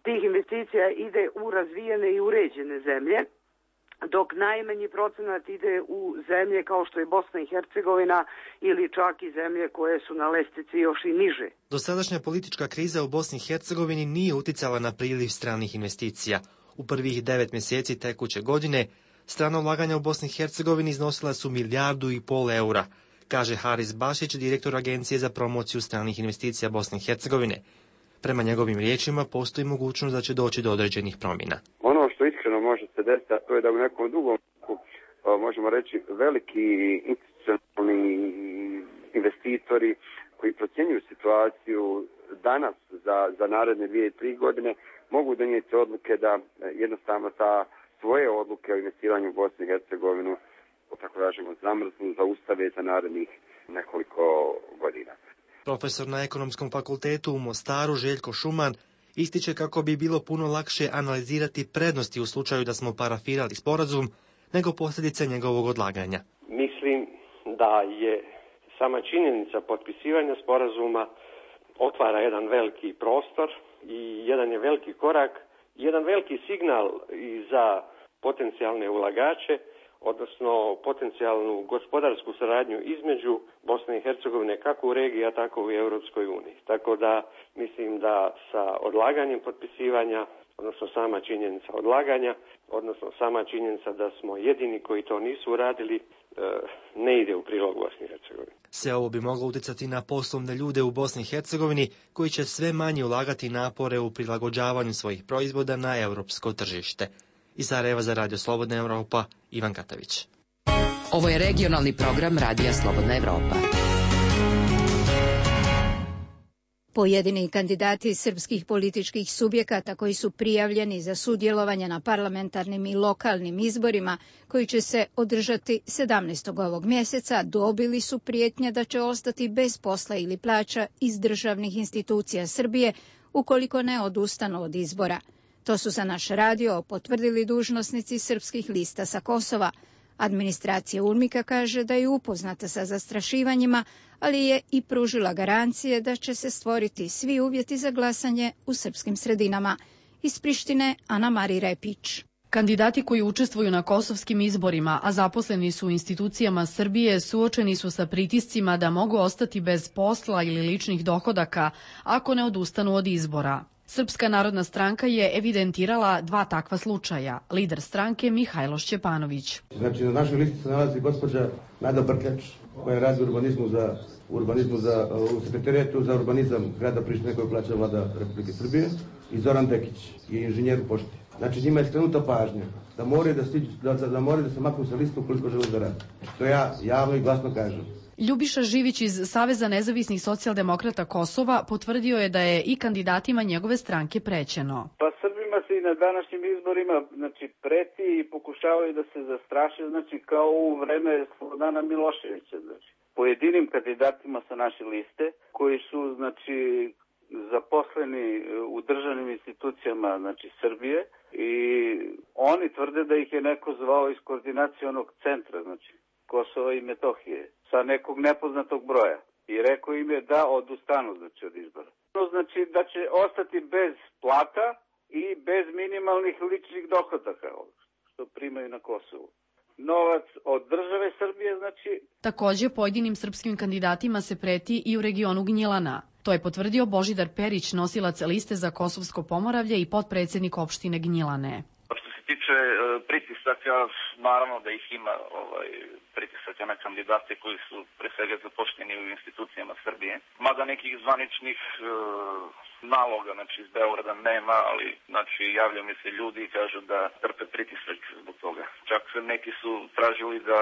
tih investicija ide u razvijene i uređene zemlje, dok najmanji procenat ide u zemlje kao što je Bosna i Hercegovina ili čak i zemlje koje su na lestvici još i niže. Dosadašnja politička kriza u Bosni i Hercegovini nije uticala na priliv stranih investicija. U prvih devet mjeseci tekuće godine strana ulaganja u Bosni i Hercegovini iznosila su milijardu i pol eura, kaže Haris Bašić, direktor Agencije za promociju stranih investicija Bosne i Hercegovine. Prema njegovim riječima postoji mogućnost da će doći do određenih promjena. Ono što iskreno može se desiti, a to je da u nekom drugom, možemo reći, veliki institucionalni investitori koji procjenjuju situaciju danas za, za naredne dvije, tri godine, mogu donijeti odluke da jednostavno ta svoje odluke o investiranju u Bosnu i Hercegovinu, tako kažemo, zamrznu, zaustave za narednih nekoliko godina. Profesor na Ekonomskom fakultetu u Mostaru Željko Šuman ističe kako bi bilo puno lakše analizirati prednosti u slučaju da smo parafirali sporazum nego posljedice njegovog odlaganja. Mislim da je sama činjenica potpisivanja sporazuma otvara jedan veliki prostor i jedan je veliki korak, jedan veliki signal i za potencijalne ulagače, odnosno potencijalnu gospodarsku saradnju između Bosne i Hercegovine kako u regiji, a tako i u Europskoj uniji. Tako da mislim da sa odlaganjem potpisivanja, odnosno sama činjenica odlaganja, odnosno sama činjenica da smo jedini koji to nisu uradili, ne ide u prilog Bosni i Hercegovini. Sve ovo bi moglo utjecati na poslovne ljude u Bosni i Hercegovini koji će sve manje ulagati napore u prilagođavanju svojih proizvoda na europsko tržište. Iz Sarajeva za Radio Slobodna Evropa, Ivan Katavić. Ovo je regionalni program Radija Slobodna Evropa. Pojedini kandidati srpskih političkih subjekata koji su prijavljeni za sudjelovanje na parlamentarnim i lokalnim izborima koji će se održati sedamnaestog ovog mjeseca dobili su prijetnje da će ostati bez posla ili plaća iz državnih institucija Srbije ukoliko ne odustanu od izbora. To su za naš radio potvrdili dužnosnici srpskih lista sa Kosova. Administracija UNMIK-a kaže da je upoznata sa zastrašivanjima, ali je i pružila garancije da će se stvoriti svi uvjeti za glasanje u srpskim sredinama. Iz Prištine, Ana Mari Repić. Kandidati koji učestvuju na kosovskim izborima, a zaposleni su u institucijama Srbije, suočeni su sa pritiscima da mogu ostati bez posla ili ličnih dohodaka ako ne odustanu od izbora. Srpska narodna stranka je evidentirala dva takva slučaja. Lider stranke Mihajlo Šćepanović. Znači, na našoj listi se nalazi gospođa Nada Brkljač, koja radi u urbanizmu za, urbanizmu za, u sekretarijatu za urbanizam grada Prištine koju plaća vlada Republike Srbije, i Zoran Dekić je inženjer u pošti. Znači, njima je skrenuta pažnja da moraju da, stiđu, da, da, moraju da se maknu sa listu ukoliko žele da rade. To ja javno i glasno kažem. Ljubiša Živić iz Saveza nezavisnih socijaldemokrata Kosova potvrdio je da je i kandidatima njegove stranke prećeno. Pa Srbima se i na današnjim izborima znači, preti i pokušavaju da se zastraše, znači kao u vreme Slobodana Miloševića. Znači. Pojedinim kandidatima sa naše liste koji su znači zaposleni u državnim institucijama znači Srbije i oni tvrde da ih je neko zvao iz koordinacionog centra, znači Kosova i Metohije, sa nekog nepoznatog broja. I rekao im je da odustanu znači, od izbora. Znači da će ostati bez plata i bez minimalnih ličnih dohodaka, što primaju na Kosovu. Novac od države Srbije, znači... Također pojedinim srpskim kandidatima se preti i u regionu Gnjilana. To je potvrdio Božidar Perić, nosilac liste za Kosovsko Pomoravlje i potpredsjednik opštine Gnjilane. Što se tiče pritisaka, naravno da ih ima, ovaj, pritisaka na kandidate koji su pre svega zaposleni u institucijama Srbije. Mada nekih zvaničnih e, naloga, znači iz Beograda nema, ali znači javljaju mi se ljudi i kažu da trpe pritisak zbog toga. Čak neki su tražili da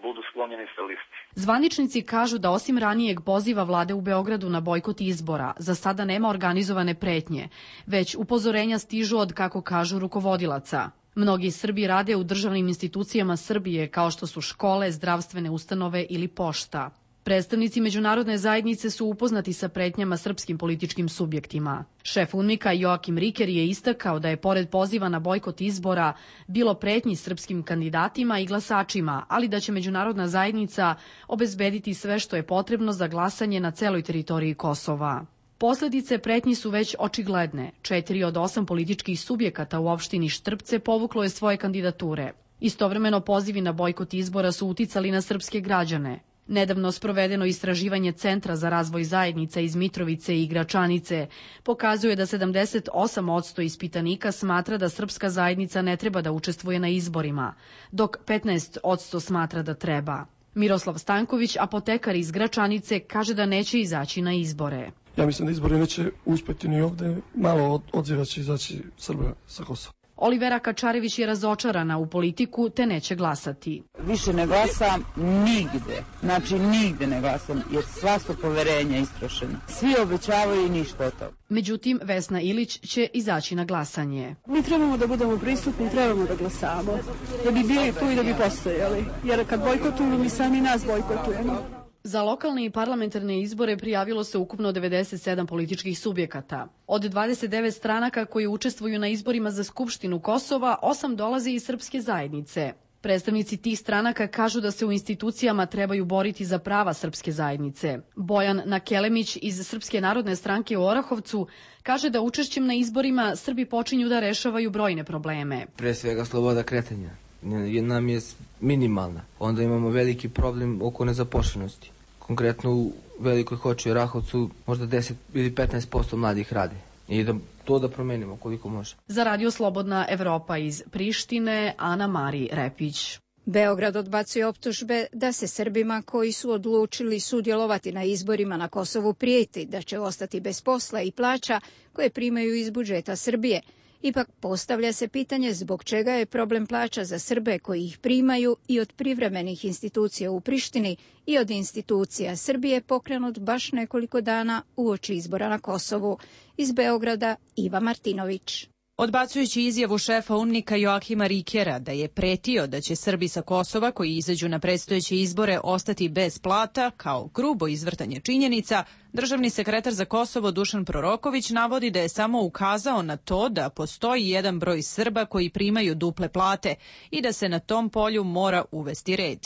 budu sklonjeni sa listi. Zvaničnici kažu da osim ranijeg poziva vlade u Beogradu na bojkot izbora, za sada nema organizovane pretnje, već upozorenja stižu od, kako kažu, rukovodilaca. Mnogi Srbi rade u državnim institucijama Srbije, kao što su škole, zdravstvene ustanove ili pošta. Predstavnici međunarodne zajednice su upoznati sa pretnjama srpskim političkim subjektima. Šef UNMIK-a Joakim Riker je istakao da je pored poziva na bojkot izbora bilo pretnji srpskim kandidatima i glasačima, ali da će međunarodna zajednica obezbediti sve što je potrebno za glasanje na celoj teritoriji Kosova. Posledice pretnji su već očigledne. Četiri od osam političkih subjekata u opštini Štrpce povuklo je svoje kandidature. Istovremeno pozivi na bojkot izbora su uticali na srpske građane. Nedavno sprovedeno istraživanje Centra za razvoj zajednica iz Mitrovice i Gračanice pokazuje da sedamdeset osam posto ispitanika smatra da srpska zajednica ne treba da učestvuje na izborima, dok petnaest posto smatra da treba. Miroslav Stanković, apotekar iz Gračanice, kaže da neće izaći na izbore. Ja mislim da izbori neće uspjeti ni ovdje, malo odziva će izaći Srba sa Kosova. Olivera Kačarević je razočarana u politiku te neće glasati. Više ne glasam nigde, znači nigde ne glasam jer sva su poverenja istrošena. Svi obećavaju i ništa od toga. Međutim, Vesna Ilić će izaći na glasanje. Mi trebamo da budemo prisutni, trebamo da glasamo, da bi bili tu i da bi postojali, jer kad bojkotujemo mi sami nas bojkotujemo. Za lokalne i parlamentarne izbore prijavilo se ukupno devedeset sedam političkih subjekata. Od dvadeset devet stranaka koji učestvuju na izborima za Skupštinu Kosova, osam dolazi iz srpske zajednice. Predstavnici tih stranaka kažu da se u institucijama trebaju boriti za prava srpske zajednice. Bojan Nakelemić iz Srpske narodne stranke u Orahovcu kaže da učešćem na izborima Srbi počinju da rešavaju brojne probleme. Pre svega sloboda kretanja nam je minimalna. Onda imamo veliki problem oko nezaposlenosti. Konkretno u Velikoj Hoči i Orahovcu možda deset ili petnaest posto mladih rade. I da to da promenimo koliko može. Za Radio Slobodna Evropa iz Prištine, Ana Mari Repić. Beograd odbacuje optužbe da se Srbima koji su odlučili sudjelovati na izborima na Kosovu prijeti da će ostati bez posla i plaća koje primaju iz budžeta Srbije. Ipak postavlja se pitanje zbog čega je problem plaća za Srbe koji ih primaju i od privremenih institucija u Prištini i od institucija Srbije pokrenut baš nekoliko dana uoči izbora na Kosovu. Iz Beograda Iva Martinović. Odbacujući izjavu šefa UNMIK-a Joakima Rikera da je pretio da će Srbi sa Kosova koji izađu na predstojeće izbore ostati bez plata kao grubo izvrtanje činjenica, državni sekretar za Kosovo Dušan Proroković navodi da je samo ukazao na to da postoji jedan broj Srba koji primaju duple plate i da se na tom polju mora uvesti red.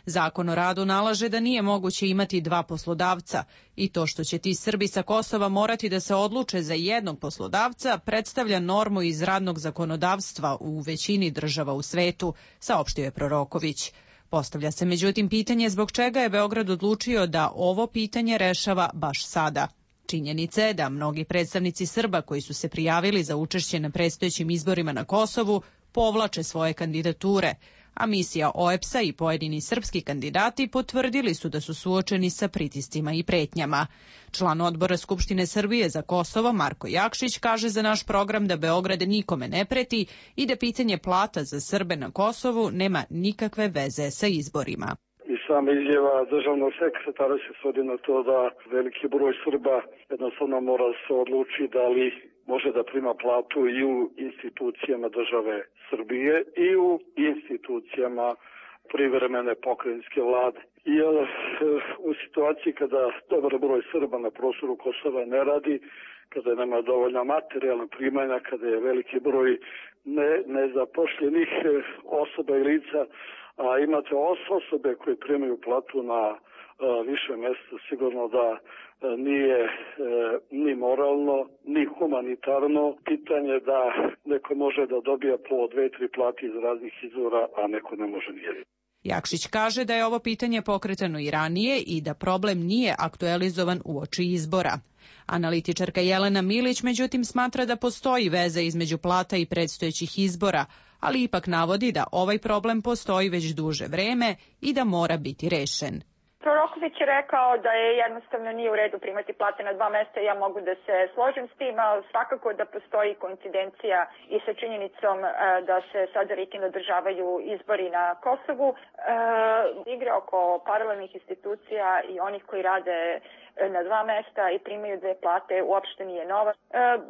Zakon o radu nalaže da nije moguće imati dva poslodavca i to što će ti Srbi sa Kosova morati da se odluče za jednog poslodavca predstavlja normu iz radnog zakonodavstva u većini država u svetu, saopštio je Proroković. Postavlja se međutim pitanje zbog čega je Beograd odlučio da ovo pitanje rešava baš sada. Činjenica je da mnogi predstavnici Srba koji su se prijavili za učešće na predstojećim izborima na Kosovu povlače svoje kandidature, a misija O E P S-a i pojedini srpski kandidati potvrdili su da su suočeni sa pritiscima i pretnjama. Član odbora Skupštine Srbije za Kosovo Marko Jakšić kaže za naš program da Beograd nikome ne preti i da pitanje plata za Srbe na Kosovu nema nikakve veze sa izborima. I sama izjava državnog sekretara se svodi na to da veliki broj Srba jednostavno mora se odluči da li može da prima platu i u institucijama države Srbije i u institucijama privremene pokrajinske vlade. Jer u situaciji kada dobar broj Srba na prostoru Kosova ne radi, kada nema dovoljna materijalna primanja, kada je veliki broj ne, nezapošljenih osoba i lica, a imate osobe koje primaju platu na a, više mjesta, sigurno da a, nije a, ni moralno, ni humanitarno pitanje da neko može da dobija po dve, tri plati iz raznih izvora, a neko ne može nijedno. Jakšić kaže da je ovo pitanje pokretano i ranije i da problem nije aktualizovan uoči izbora. Analitičarka Jelena Milić međutim smatra da postoji veza između plata i predstojećih izbora, ali ipak navodi da ovaj problem postoji već duže vreme i da mora biti rešen. Proroković je rekao da je jednostavno nije u redu primati plate na dva mesta. Ja mogu da se složim s tim, ali svakako da postoji koincidencija i sa činjenicom da se sada rikino održavaju izbori na Kosovu. E, igre oko paralelnih institucija i onih koji rade na dva mesta i primaju dve plate uopšte nije nova. E,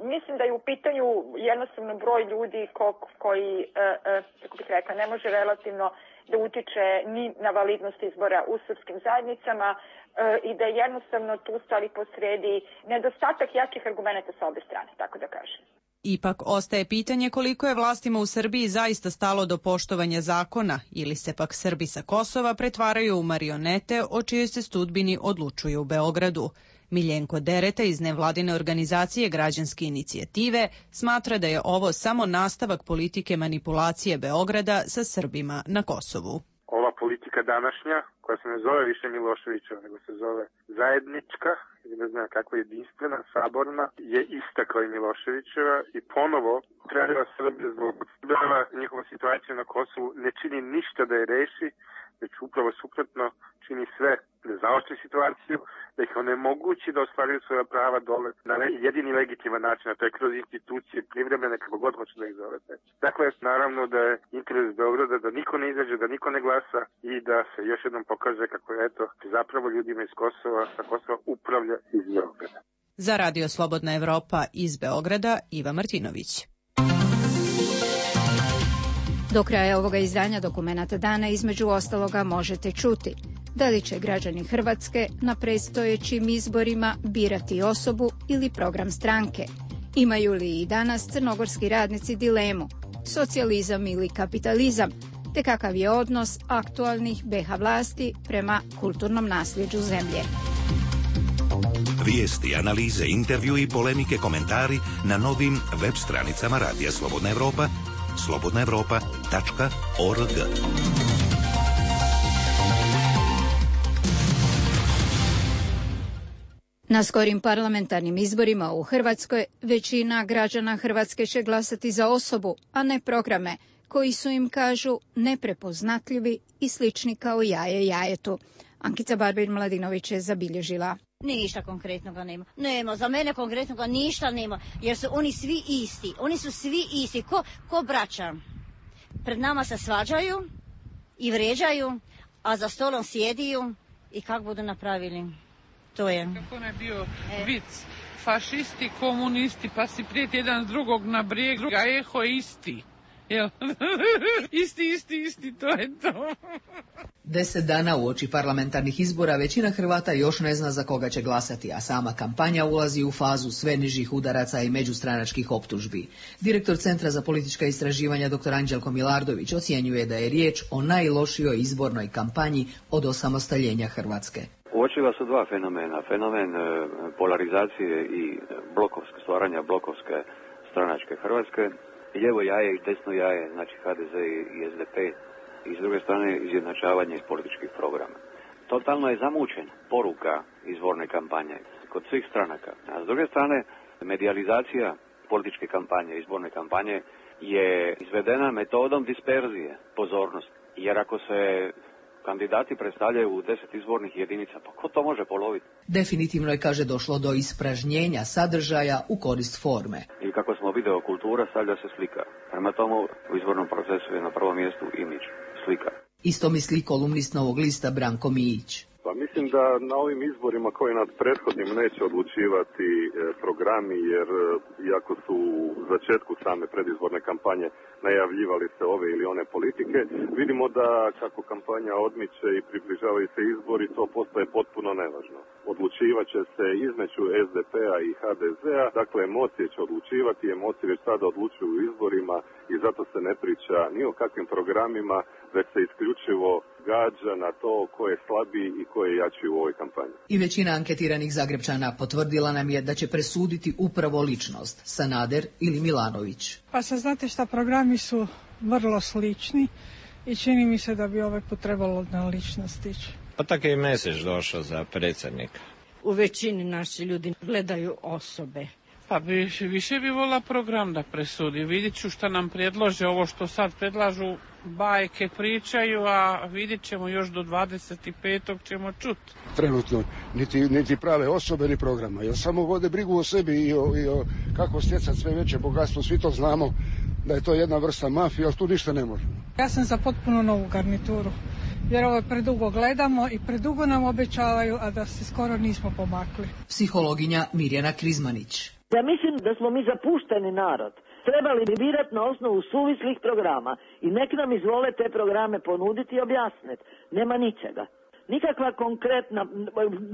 mislim da je u pitanju jednostavno broj ljudi ko, koji, e, e, kako bih rekla, ne može relativno da utiče ni na validnost izbora u srpskim zajednicama e, i da je jednostavno tu stvari posredi nedostatak jakih argumenta sa obe strane, tako da kažem. Ipak ostaje pitanje koliko je vlastima u Srbiji zaista stalo do poštovanja zakona ili se pak Srbi sa Kosova pretvaraju u marionete o čijoj se sudbini odlučuju u Beogradu. Miljenko Dereta iz nevladine organizacije Građanske inicijative smatra da je ovo samo nastavak politike manipulacije Beograda sa Srbima na Kosovu. Ova politika današnja, koja se ne zove više Miloševićeva, nego se zove zajednička, ili ne znam kako jedinstvena, saborna, je ista kao i Miloševićeva i ponovo treba Srbije zloupotrebljava njihovu situaciju na Kosovu, ne čini ništa da je reši, već upravo suprotno čini sve da zaoštri situaciju, da ih onemogući da ostvaruju svoja prava dole na jedini legitiman način, a to je kroz institucije privremene, kako god hoće da ih zovete. Dakle, naravno da je interes Beograda da niko ne izađe, da niko ne glasa i da se još jednom pokaže kako je eto zapravo ljudima iz Kosova, sa Kosova upravlja iz Beograda. Za Radio Slobodna Evropa iz Beograda, Iva Martinović. Do kraja ovoga izdanja Dokumenata dana između ostaloga možete čuti da li će građani Hrvatske na predstojećim izborima birati osobu ili program stranke. Imaju li i danas crnogorski radnici dilemu, socijalizam ili kapitalizam, te kakav je odnos aktualnih be ha vlasti prema kulturnom nasljeđu zemlje. Vijesti, analize, intervju i polemike, komentari na novim web stranicama Radija Slobodna Evropa, slobodna evropa tačka org. Na skorim parlamentarnim izborima u Hrvatskoj većina građana Hrvatske će glasati za osobu, a ne programe, koji su im, kažu, neprepoznatljivi i slični kao jaje jajetu. Ankica Barbir-Mladinović je zabilježila. Ništa konkretnoga nema. Nema, za mene konkretnoga ništa nema, jer su oni svi isti. Oni su svi isti, ko, ko braća. Pred nama se svađaju i vređaju, a za stolom sjediju i kako budu napravili. To je. Kako ne bio e. vic, fašisti, komunisti, pa si prijeti jedan drugog na brijeg, druga eho isti. Jel? isti, isti, isti, to je to. Deset dana uoči parlamentarnih izbora većina Hrvata još ne zna za koga će glasati, a sama kampanja ulazi u fazu sve nižih udaraca i međustranačkih optužbi. Direktor Centra za politička istraživanja dr. Anđelko Milardović ocjenjuje da je riječ o najlošijoj izbornoj kampanji od osamostaljenja Hrvatske. Uočiva su dva fenomena. Fenomen polarizacije i blokovske, stvaranja blokovske stranačke Hrvatske. Lijevo jaje i desno jaje, znači ha de ze i es de pe, i s druge strane izjednačavanje političkih programa. Totalno je zamučena poruka izborne kampanje kod svih stranaka. A s druge strane, medijalizacija političke kampanje, izborne kampanje je izvedena metodom disperzije pozornosti. Jer ako se kandidati predstavljaju u deset izbornih jedinica, pa ko to može poloviti? Definitivno je, kaže, došlo do ispražnjenja sadržaja u korist forme. I kako smo video, kultura stavlja se slika. Prema tomu u izbornom procesu je na prvom mjestu imidž, slika. Isto misli kolumnist Novog lista Branko Mijić. Pa mislim da na ovim izborima koji nad prethodnim neće odlučivati e, programi, jer e, iako su u začetku same predizborne kampanje najavljivali se ove ili one politike, vidimo da kako kampanja odmiče i približavaju se izbori, to postaje potpuno nevažno. Odlučivat će se između es de pe-a i ha de ze-a, dakle emocije će odlučivati, emocije već sada odlučuju u izborima i zato se ne priča ni o kakvim programima, već se isključivo gađa na to ko je slabiji i ko je jači u ovoj kampanji. I većina anketiranih Zagrepčana potvrdila nam je da će presuditi upravo ličnost, Sanader ili Milanović. Pa sad znate šta, programi su vrlo slični i čini mi se da bi ovaj put trebalo na ličnost ići. Pa tako je i Mesić došao za predsjednika. U većini naši ljudi gledaju osobe. Pa više, više bi volila program da presudi. Vidjet ću šta nam predlože, ovo što sad predlažu, bajke pričaju, a vidjet ćemo još do dvadeset petog ćemo čuti. Trenutno niti, niti prave osobe ni programa, jer samo vode brigu o sebi i o, i o kako stjecati sve veće bogatstvo. Svi to znamo da je to jedna vrsta mafije, ali tu ništa ne može. Ja sam za potpuno novu garnituru, jer ovo predugo gledamo i predugo nam obećavaju, a da se skoro nismo pomakli. Psihologinja Mirjana Krizmanić. Ja mislim da smo mi zapušteni narod. Trebali bi birati na osnovu suvislih programa i nek nam izvole te programe ponuditi i objasniti. Nema ničega. Nikakva konkretna,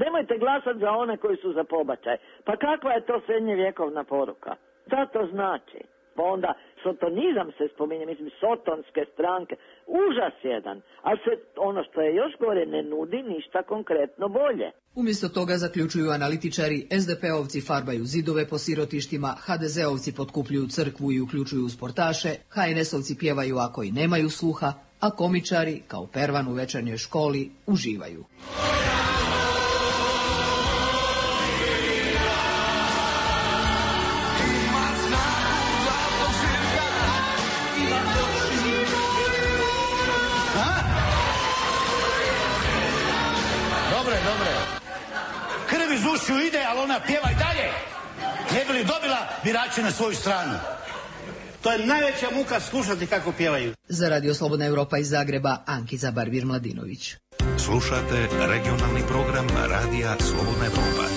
nemojte glasati za one koji su za pobačaj. Pa kakva je to srednjevjekovna poruka? Šta to znači? Pa onda sotonizam se spominje, mislim sotonske stranke, užas jedan, ali se ono što je još gore ne nudi ništa konkretno bolje. Umjesto toga, zaključuju analitičari, es de pe-ovci farbaju zidove po sirotištima, ha de ze-ovci potkupljuju crkvu i uključuju sportaše, ha en es-ovci pjevaju ako i nemaju sluha, a komičari, kao Pervan u večernjoj školi, uživaju. Krv iz ušiju ide, ali ona pjeva i dalje. Ne bi li dobila birače na svoju stranu. To je najveća muka slušati kako pjevaju. Za Radio Slobodna Evropa iz Zagreba, Ankica Barbir-Mladinović. Slušate regionalni program Radija Slobodna Evropa.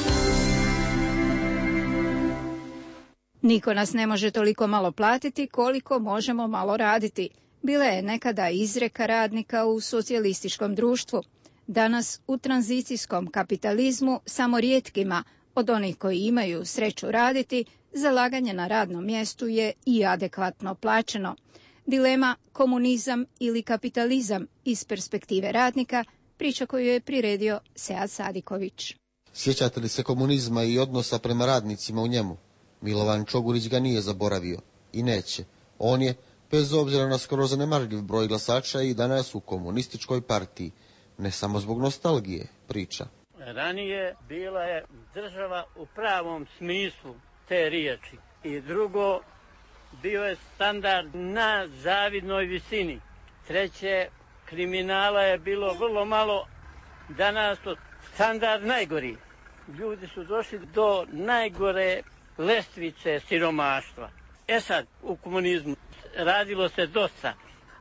Niko nas ne može toliko malo platiti koliko možemo malo raditi. Bila je nekada izreka radnika u socijalističkom društvu. Danas u tranzicijskom kapitalizmu samo rijetkima od onih koji imaju sreću raditi, zalaganje na radnom mjestu je i adekvatno plaćeno. Dilema komunizam ili kapitalizam iz perspektive radnika, priča koju je priredio Sead Sadiković. Sjećate li se komunizma i odnosa prema radnicima u njemu? Milovan Čogurić ga nije zaboravio i neće. On je, bez obzira na skoro zanemarljiv broj glasača, i danas u komunističkoj partiji. Ne samo zbog nostalgije, priča. Ranije bila je država u pravom smislu te riječi. I drugo, bio je standard na zavidnoj visini. Treće, kriminala je bilo vrlo malo, danas to standard najgori. Ljudi su došli do najgore lestvice siromaštva. E sad, u komunizmu radilo se dosta.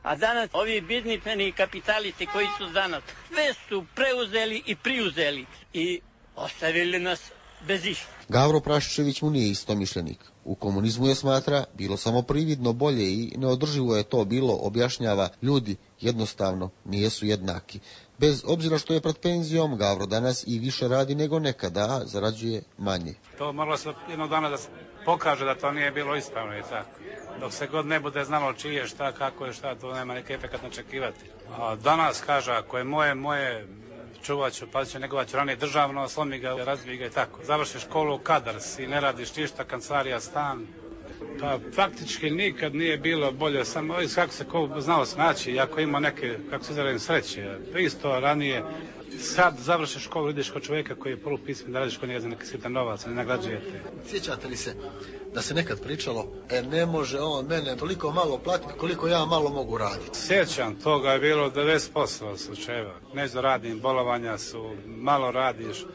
A danas ovi biznismeni kapitalisti koji su danas sve su preuzeli i priuzeli i ostavili nas bez išta. Gavro Praščević mu nije istomišljenik. U komunizmu je, smatra, bilo samo prividno bolje i neodrživo je to bilo, objašnjava, ljudi jednostavno nijesu jednaki. Bez obzira što je pred penzijom, Gavro danas i više radi nego nekada, a zarađuje manje. To moralo se jednog dana da se pokaže da to nije bilo ispravno i tako. Dok se god ne bude znalo čije, šta, kako je, šta, to nema neki efekt načekivati. A danas kaže, ako je moje, moje, čuvat ću, pazit ću, negovat ću ranije državno, slomi ga, razvij ga i tako. Završiš školu, kadar si, ne radiš ništa, kancelarija, stan. Pa faktički nikad nije bilo bolje, samo kako se ko znao snaći, ako ima neke, kako se izradim, sreće. Isto ranije, sad završiš školu, ideš kod čovjeka koji je polupismen, da radiš kod njega za neki sitan novac, ne nagrađujete. Sjećate li se da se nekad pričalo, e ne može on mene toliko malo platiti koliko ja malo mogu raditi? Sjećam, toga je bilo devedeset posto slučajeva. Nešto radim, bolovanja su, malo radiš,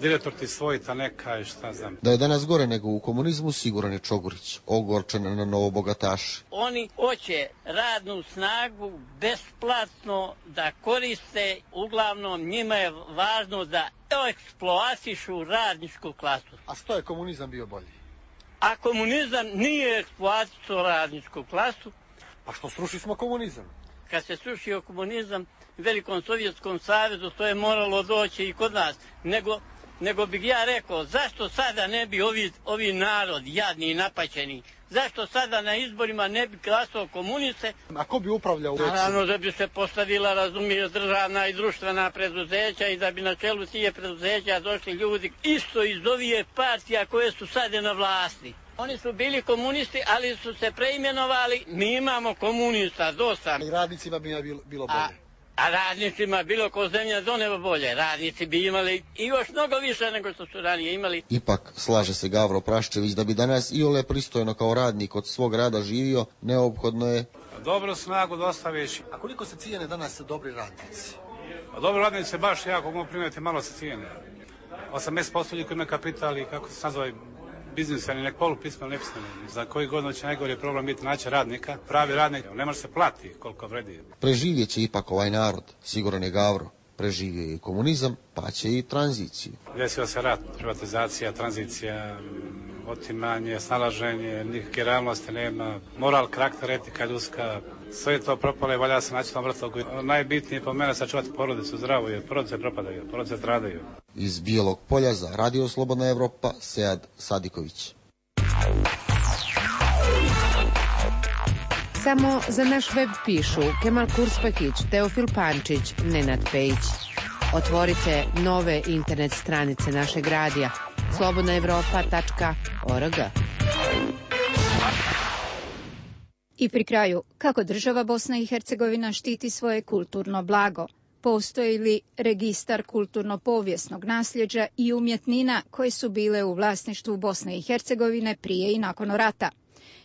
direktor ti svojita neka i šta znam. Da je danas gore nego u komunizmu, siguran je Čogurić, ogorčen na novobogataše. Oni hoće radnu snagu besplatno da koriste, uglavnom njima je važno da eksploatišu radničku klasu. A što je komunizam bio bolji? A komunizam nije eksploatisao radničku klasu. Pa što sruši smo komunizam? Kad se srušio komunizam u Velikom Sovjetskom savezu, to je moralo doći i kod nas. Nego, nego bih ja rekao, zašto sada ne bi ovi, ovi narod, jadni i napaćeni, zašto sada na izborima ne bi glasao komuniste? A ko bi upravljao? Naravno da bi se postavila, razumije, državna i društvena preduzeća i da bi na čelu tije preduzeća došli ljudi isto iz ovije partija koje su sada na vlasti. Oni su bili komunisti, ali su se preimenovali. Mi imamo komunista dosta. I radnicima bi bilo bolje. A A radnicima bilo ko zemlja do neba bolje. Radnici bi imali i još mnogo više nego što su ranije imali. Ipak, slaže se Gavro Praščević, da bi danas iole pristojno kao radnik od svog rada živio, neophodno je dobru snagu dostaviš. A koliko se cijene danas dobri radnici? A dobri radnici se baš jako mogu primjeti, malo se cijene. osamdeset posto ljudi koji imaju kapital i kako se nazove biznisani, nek polupismeni, nepismeni. Za koji godinu će najgori problem biti naći radnika, pravi radnik, ne može se plati koliko vredi. Preživjet će ipak ovaj narod, siguran je Gavro. Preživio je i komunizam, pa će i tranziciju. Desio se rat, privatizacija, tranzicija, otimanje, snalaženje, nikakve realnosti nema, moral, karakter, etika ljudska, sve je to propalo i valja se naći tom vrtlogu. Najbitnije po mene sačuvati porodicu zdravu, jer porodice propadaju, porodice stradaju. Iz Bijelog Polja za Radio Slobodna Evropa, Sead Sadiković. Samo za naš web pišu Kemal Kurspakić, Teofil Pančić, Nenad Pejić. Otvorite nove internet stranice našeg radija slobodna evropa tačka org. I pri kraju, kako država Bosna i Hercegovina štiti svoje kulturno blago? Postoji li registar kulturno-povijesnog nasljeđa i umjetnina koje su bile u vlasništvu Bosne i Hercegovine prije i nakon rata?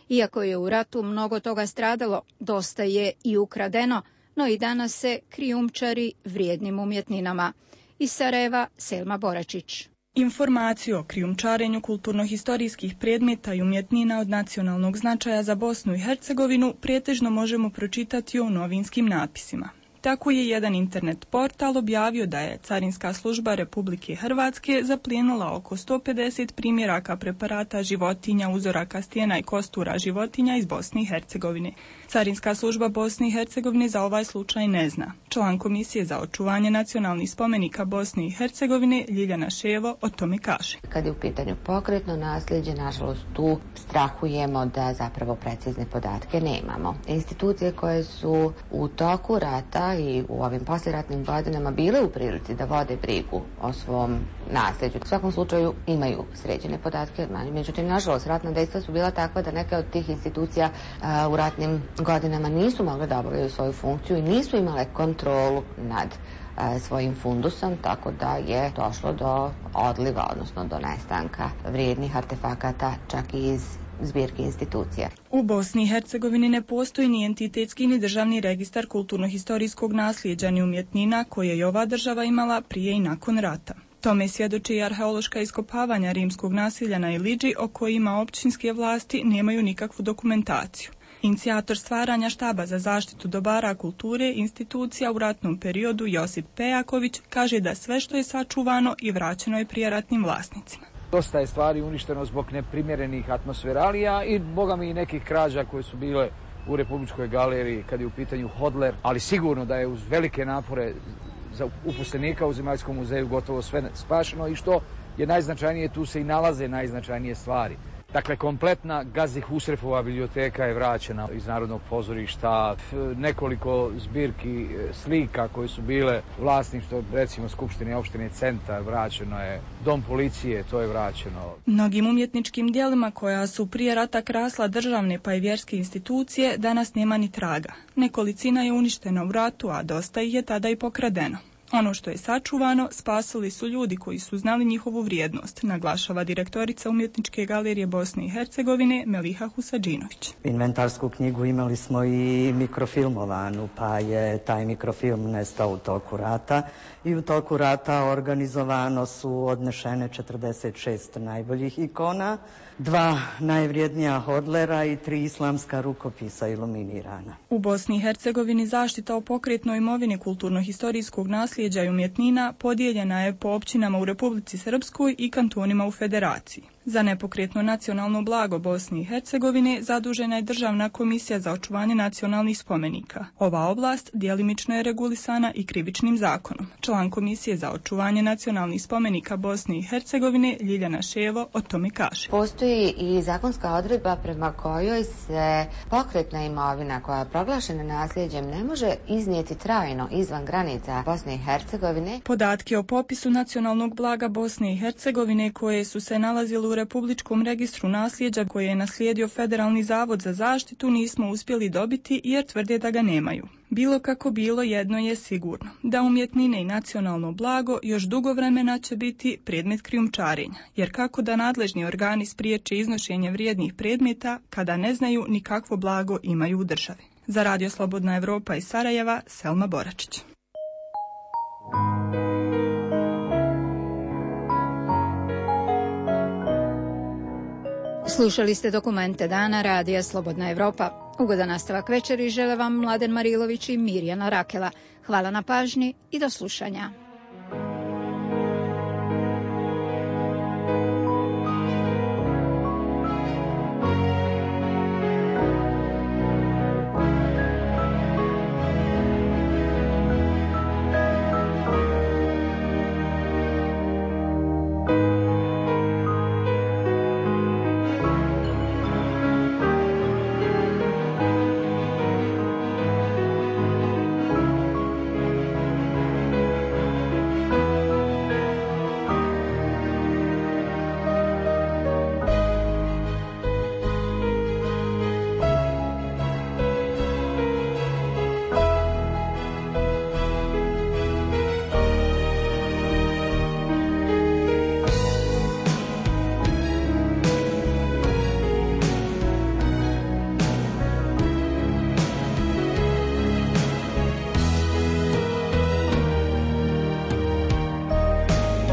Iako je u ratu mnogo toga stradalo, dosta je i ukradeno, no i danas se krijumčari vrijednim umjetninama. Iz Sarajeva, Selma Boračić. Informaciju o krijumčarenju kulturno-historijskih predmeta i umjetnina od nacionalnog značaja za Bosnu i Hercegovinu pretežno možemo pročitati u novinskim napisima. Tako je jedan internet portal objavio da je Carinska služba Republike Hrvatske zaplijenila oko sto pedeset primjeraka preparata životinja, uzoraka stijena i kostura životinja iz Bosne i Hercegovine. Carinska služba Bosne i Hercegovine za ovaj slučaj ne zna. Član Komisije za očuvanje nacionalnih spomenika Bosne i Hercegovine Ljiljana Ševo o tome kaže. Kad je u pitanju pokretno nasljeđe, nažalost tu strahujemo da zapravo precizne podatke nemamo. Institucije koje su u toku rata i u ovim posljeratnim godinama bile u prilici da vode brigu o svom nasljeđu. U svakom slučaju imaju sređene podatke, međutim, nažalost, ratna dejstva su bila takva da neke od tih institucija a, u ratnim godinama nisu mogle da obavljaju svoju funkciju i nisu imale kontrolu nad a, svojim fundusom, tako da je došlo do odliva, odnosno do nestanka vrijednih artefakata čak i iz zbirki institucija. U Bosni i Hercegovini ne postoji ni entitetski ni državni registar kulturno-historijskog nasljeđa ni umjetnina koje je ova država imala prije i nakon rata. Tome svjedoči i arheološka iskopavanja rimskog nasilja na Iliđi o kojima općinske vlasti nemaju nikakvu dokumentaciju. Inicijator stvaranja štaba za zaštitu dobara kulture institucija u ratnom periodu Josip Pejaković kaže da sve što je sačuvano i vraćeno je prijeratnim vlasnicima. Dosta je stvari uništeno zbog neprimjerenih atmosferalija i boga mi i nekih krađa koje su bile u Republičkoj galeriji kad je u pitanju Hodler, ali sigurno da je uz velike napore za uposlenika u Zemaljskom muzeju gotovo sve spašeno i što je najznačajnije, tu se i nalaze najznačajnije stvari. Dakle, kompletna Gazi Husrefova biblioteka je vraćena iz Narodnog pozorišta, nekoliko zbirki slika koje su bile vlasništvo, recimo Skupštine opštine Centar, vraćeno je, Dom policije, to je vraćeno. Mnogim umjetničkim dijelima koja su prije rata krasla državne pa i vjerske institucije danas nema ni traga. Nekolicina je uništena u ratu, a dosta ih je tada i pokradeno. Ono što je sačuvano spasili su ljudi koji su znali njihovu vrijednost, naglašava direktorica Umjetničke galerije Bosne i Hercegovine Meliha Husadžinović. Inventarsku knjigu imali smo i mikrofilmovanu, pa je taj mikrofilm nestao u toku rata i u toku rata organizovano su odnešene četrdeset šest najboljih ikona, dva najvrijednija Hodlera i tri islamska rukopisa iluminirana. U Bosni i Hercegovini zaštita o pokretnoj imovini kulturno-historijskog nasljeđa i umjetnina podijeljena je po općinama u Republici Srpskoj i kantonima u Federaciji. Za nepokretno nacionalno blago Bosne i Hercegovine zadužena je Državna komisija za očuvanje nacionalnih spomenika. Ova oblast djelimično je regulisana i krivičnim zakonom. Član Komisije za očuvanje nacionalnih spomenika Bosne i Hercegovine Ljiljana Ševo o tome kaže. Postoji i zakonska odredba prema kojoj se pokretna imovina koja je proglašena nasljeđem ne može iznijeti trajno izvan granica Bosne i Hercegovine. Podatke o popisu nacionalnog blaga Bosne i Hercegovine koje su se nalazile u Republičkom registru nasljeđa koje je naslijedio Federalni zavod za zaštitu nismo uspjeli dobiti jer tvrde da ga nemaju. Bilo kako bilo, jedno je sigurno, da umjetnine i nacionalno blago još dugo vremena će biti predmet krijumčarenja, jer kako da nadležni organi spriječe iznošenje vrijednih predmeta kada ne znaju ni kakvo blago imaju u državi. Za Radio Slobodna Evropa iz Sarajeva, Selma Boračić. Slušali ste dokumente dana Radija Slobodna Evropa. Ugodan nastavak večeri žele vam Mladen Marilović i Mirjana Rakela. Hvala na pažnji i do slušanja.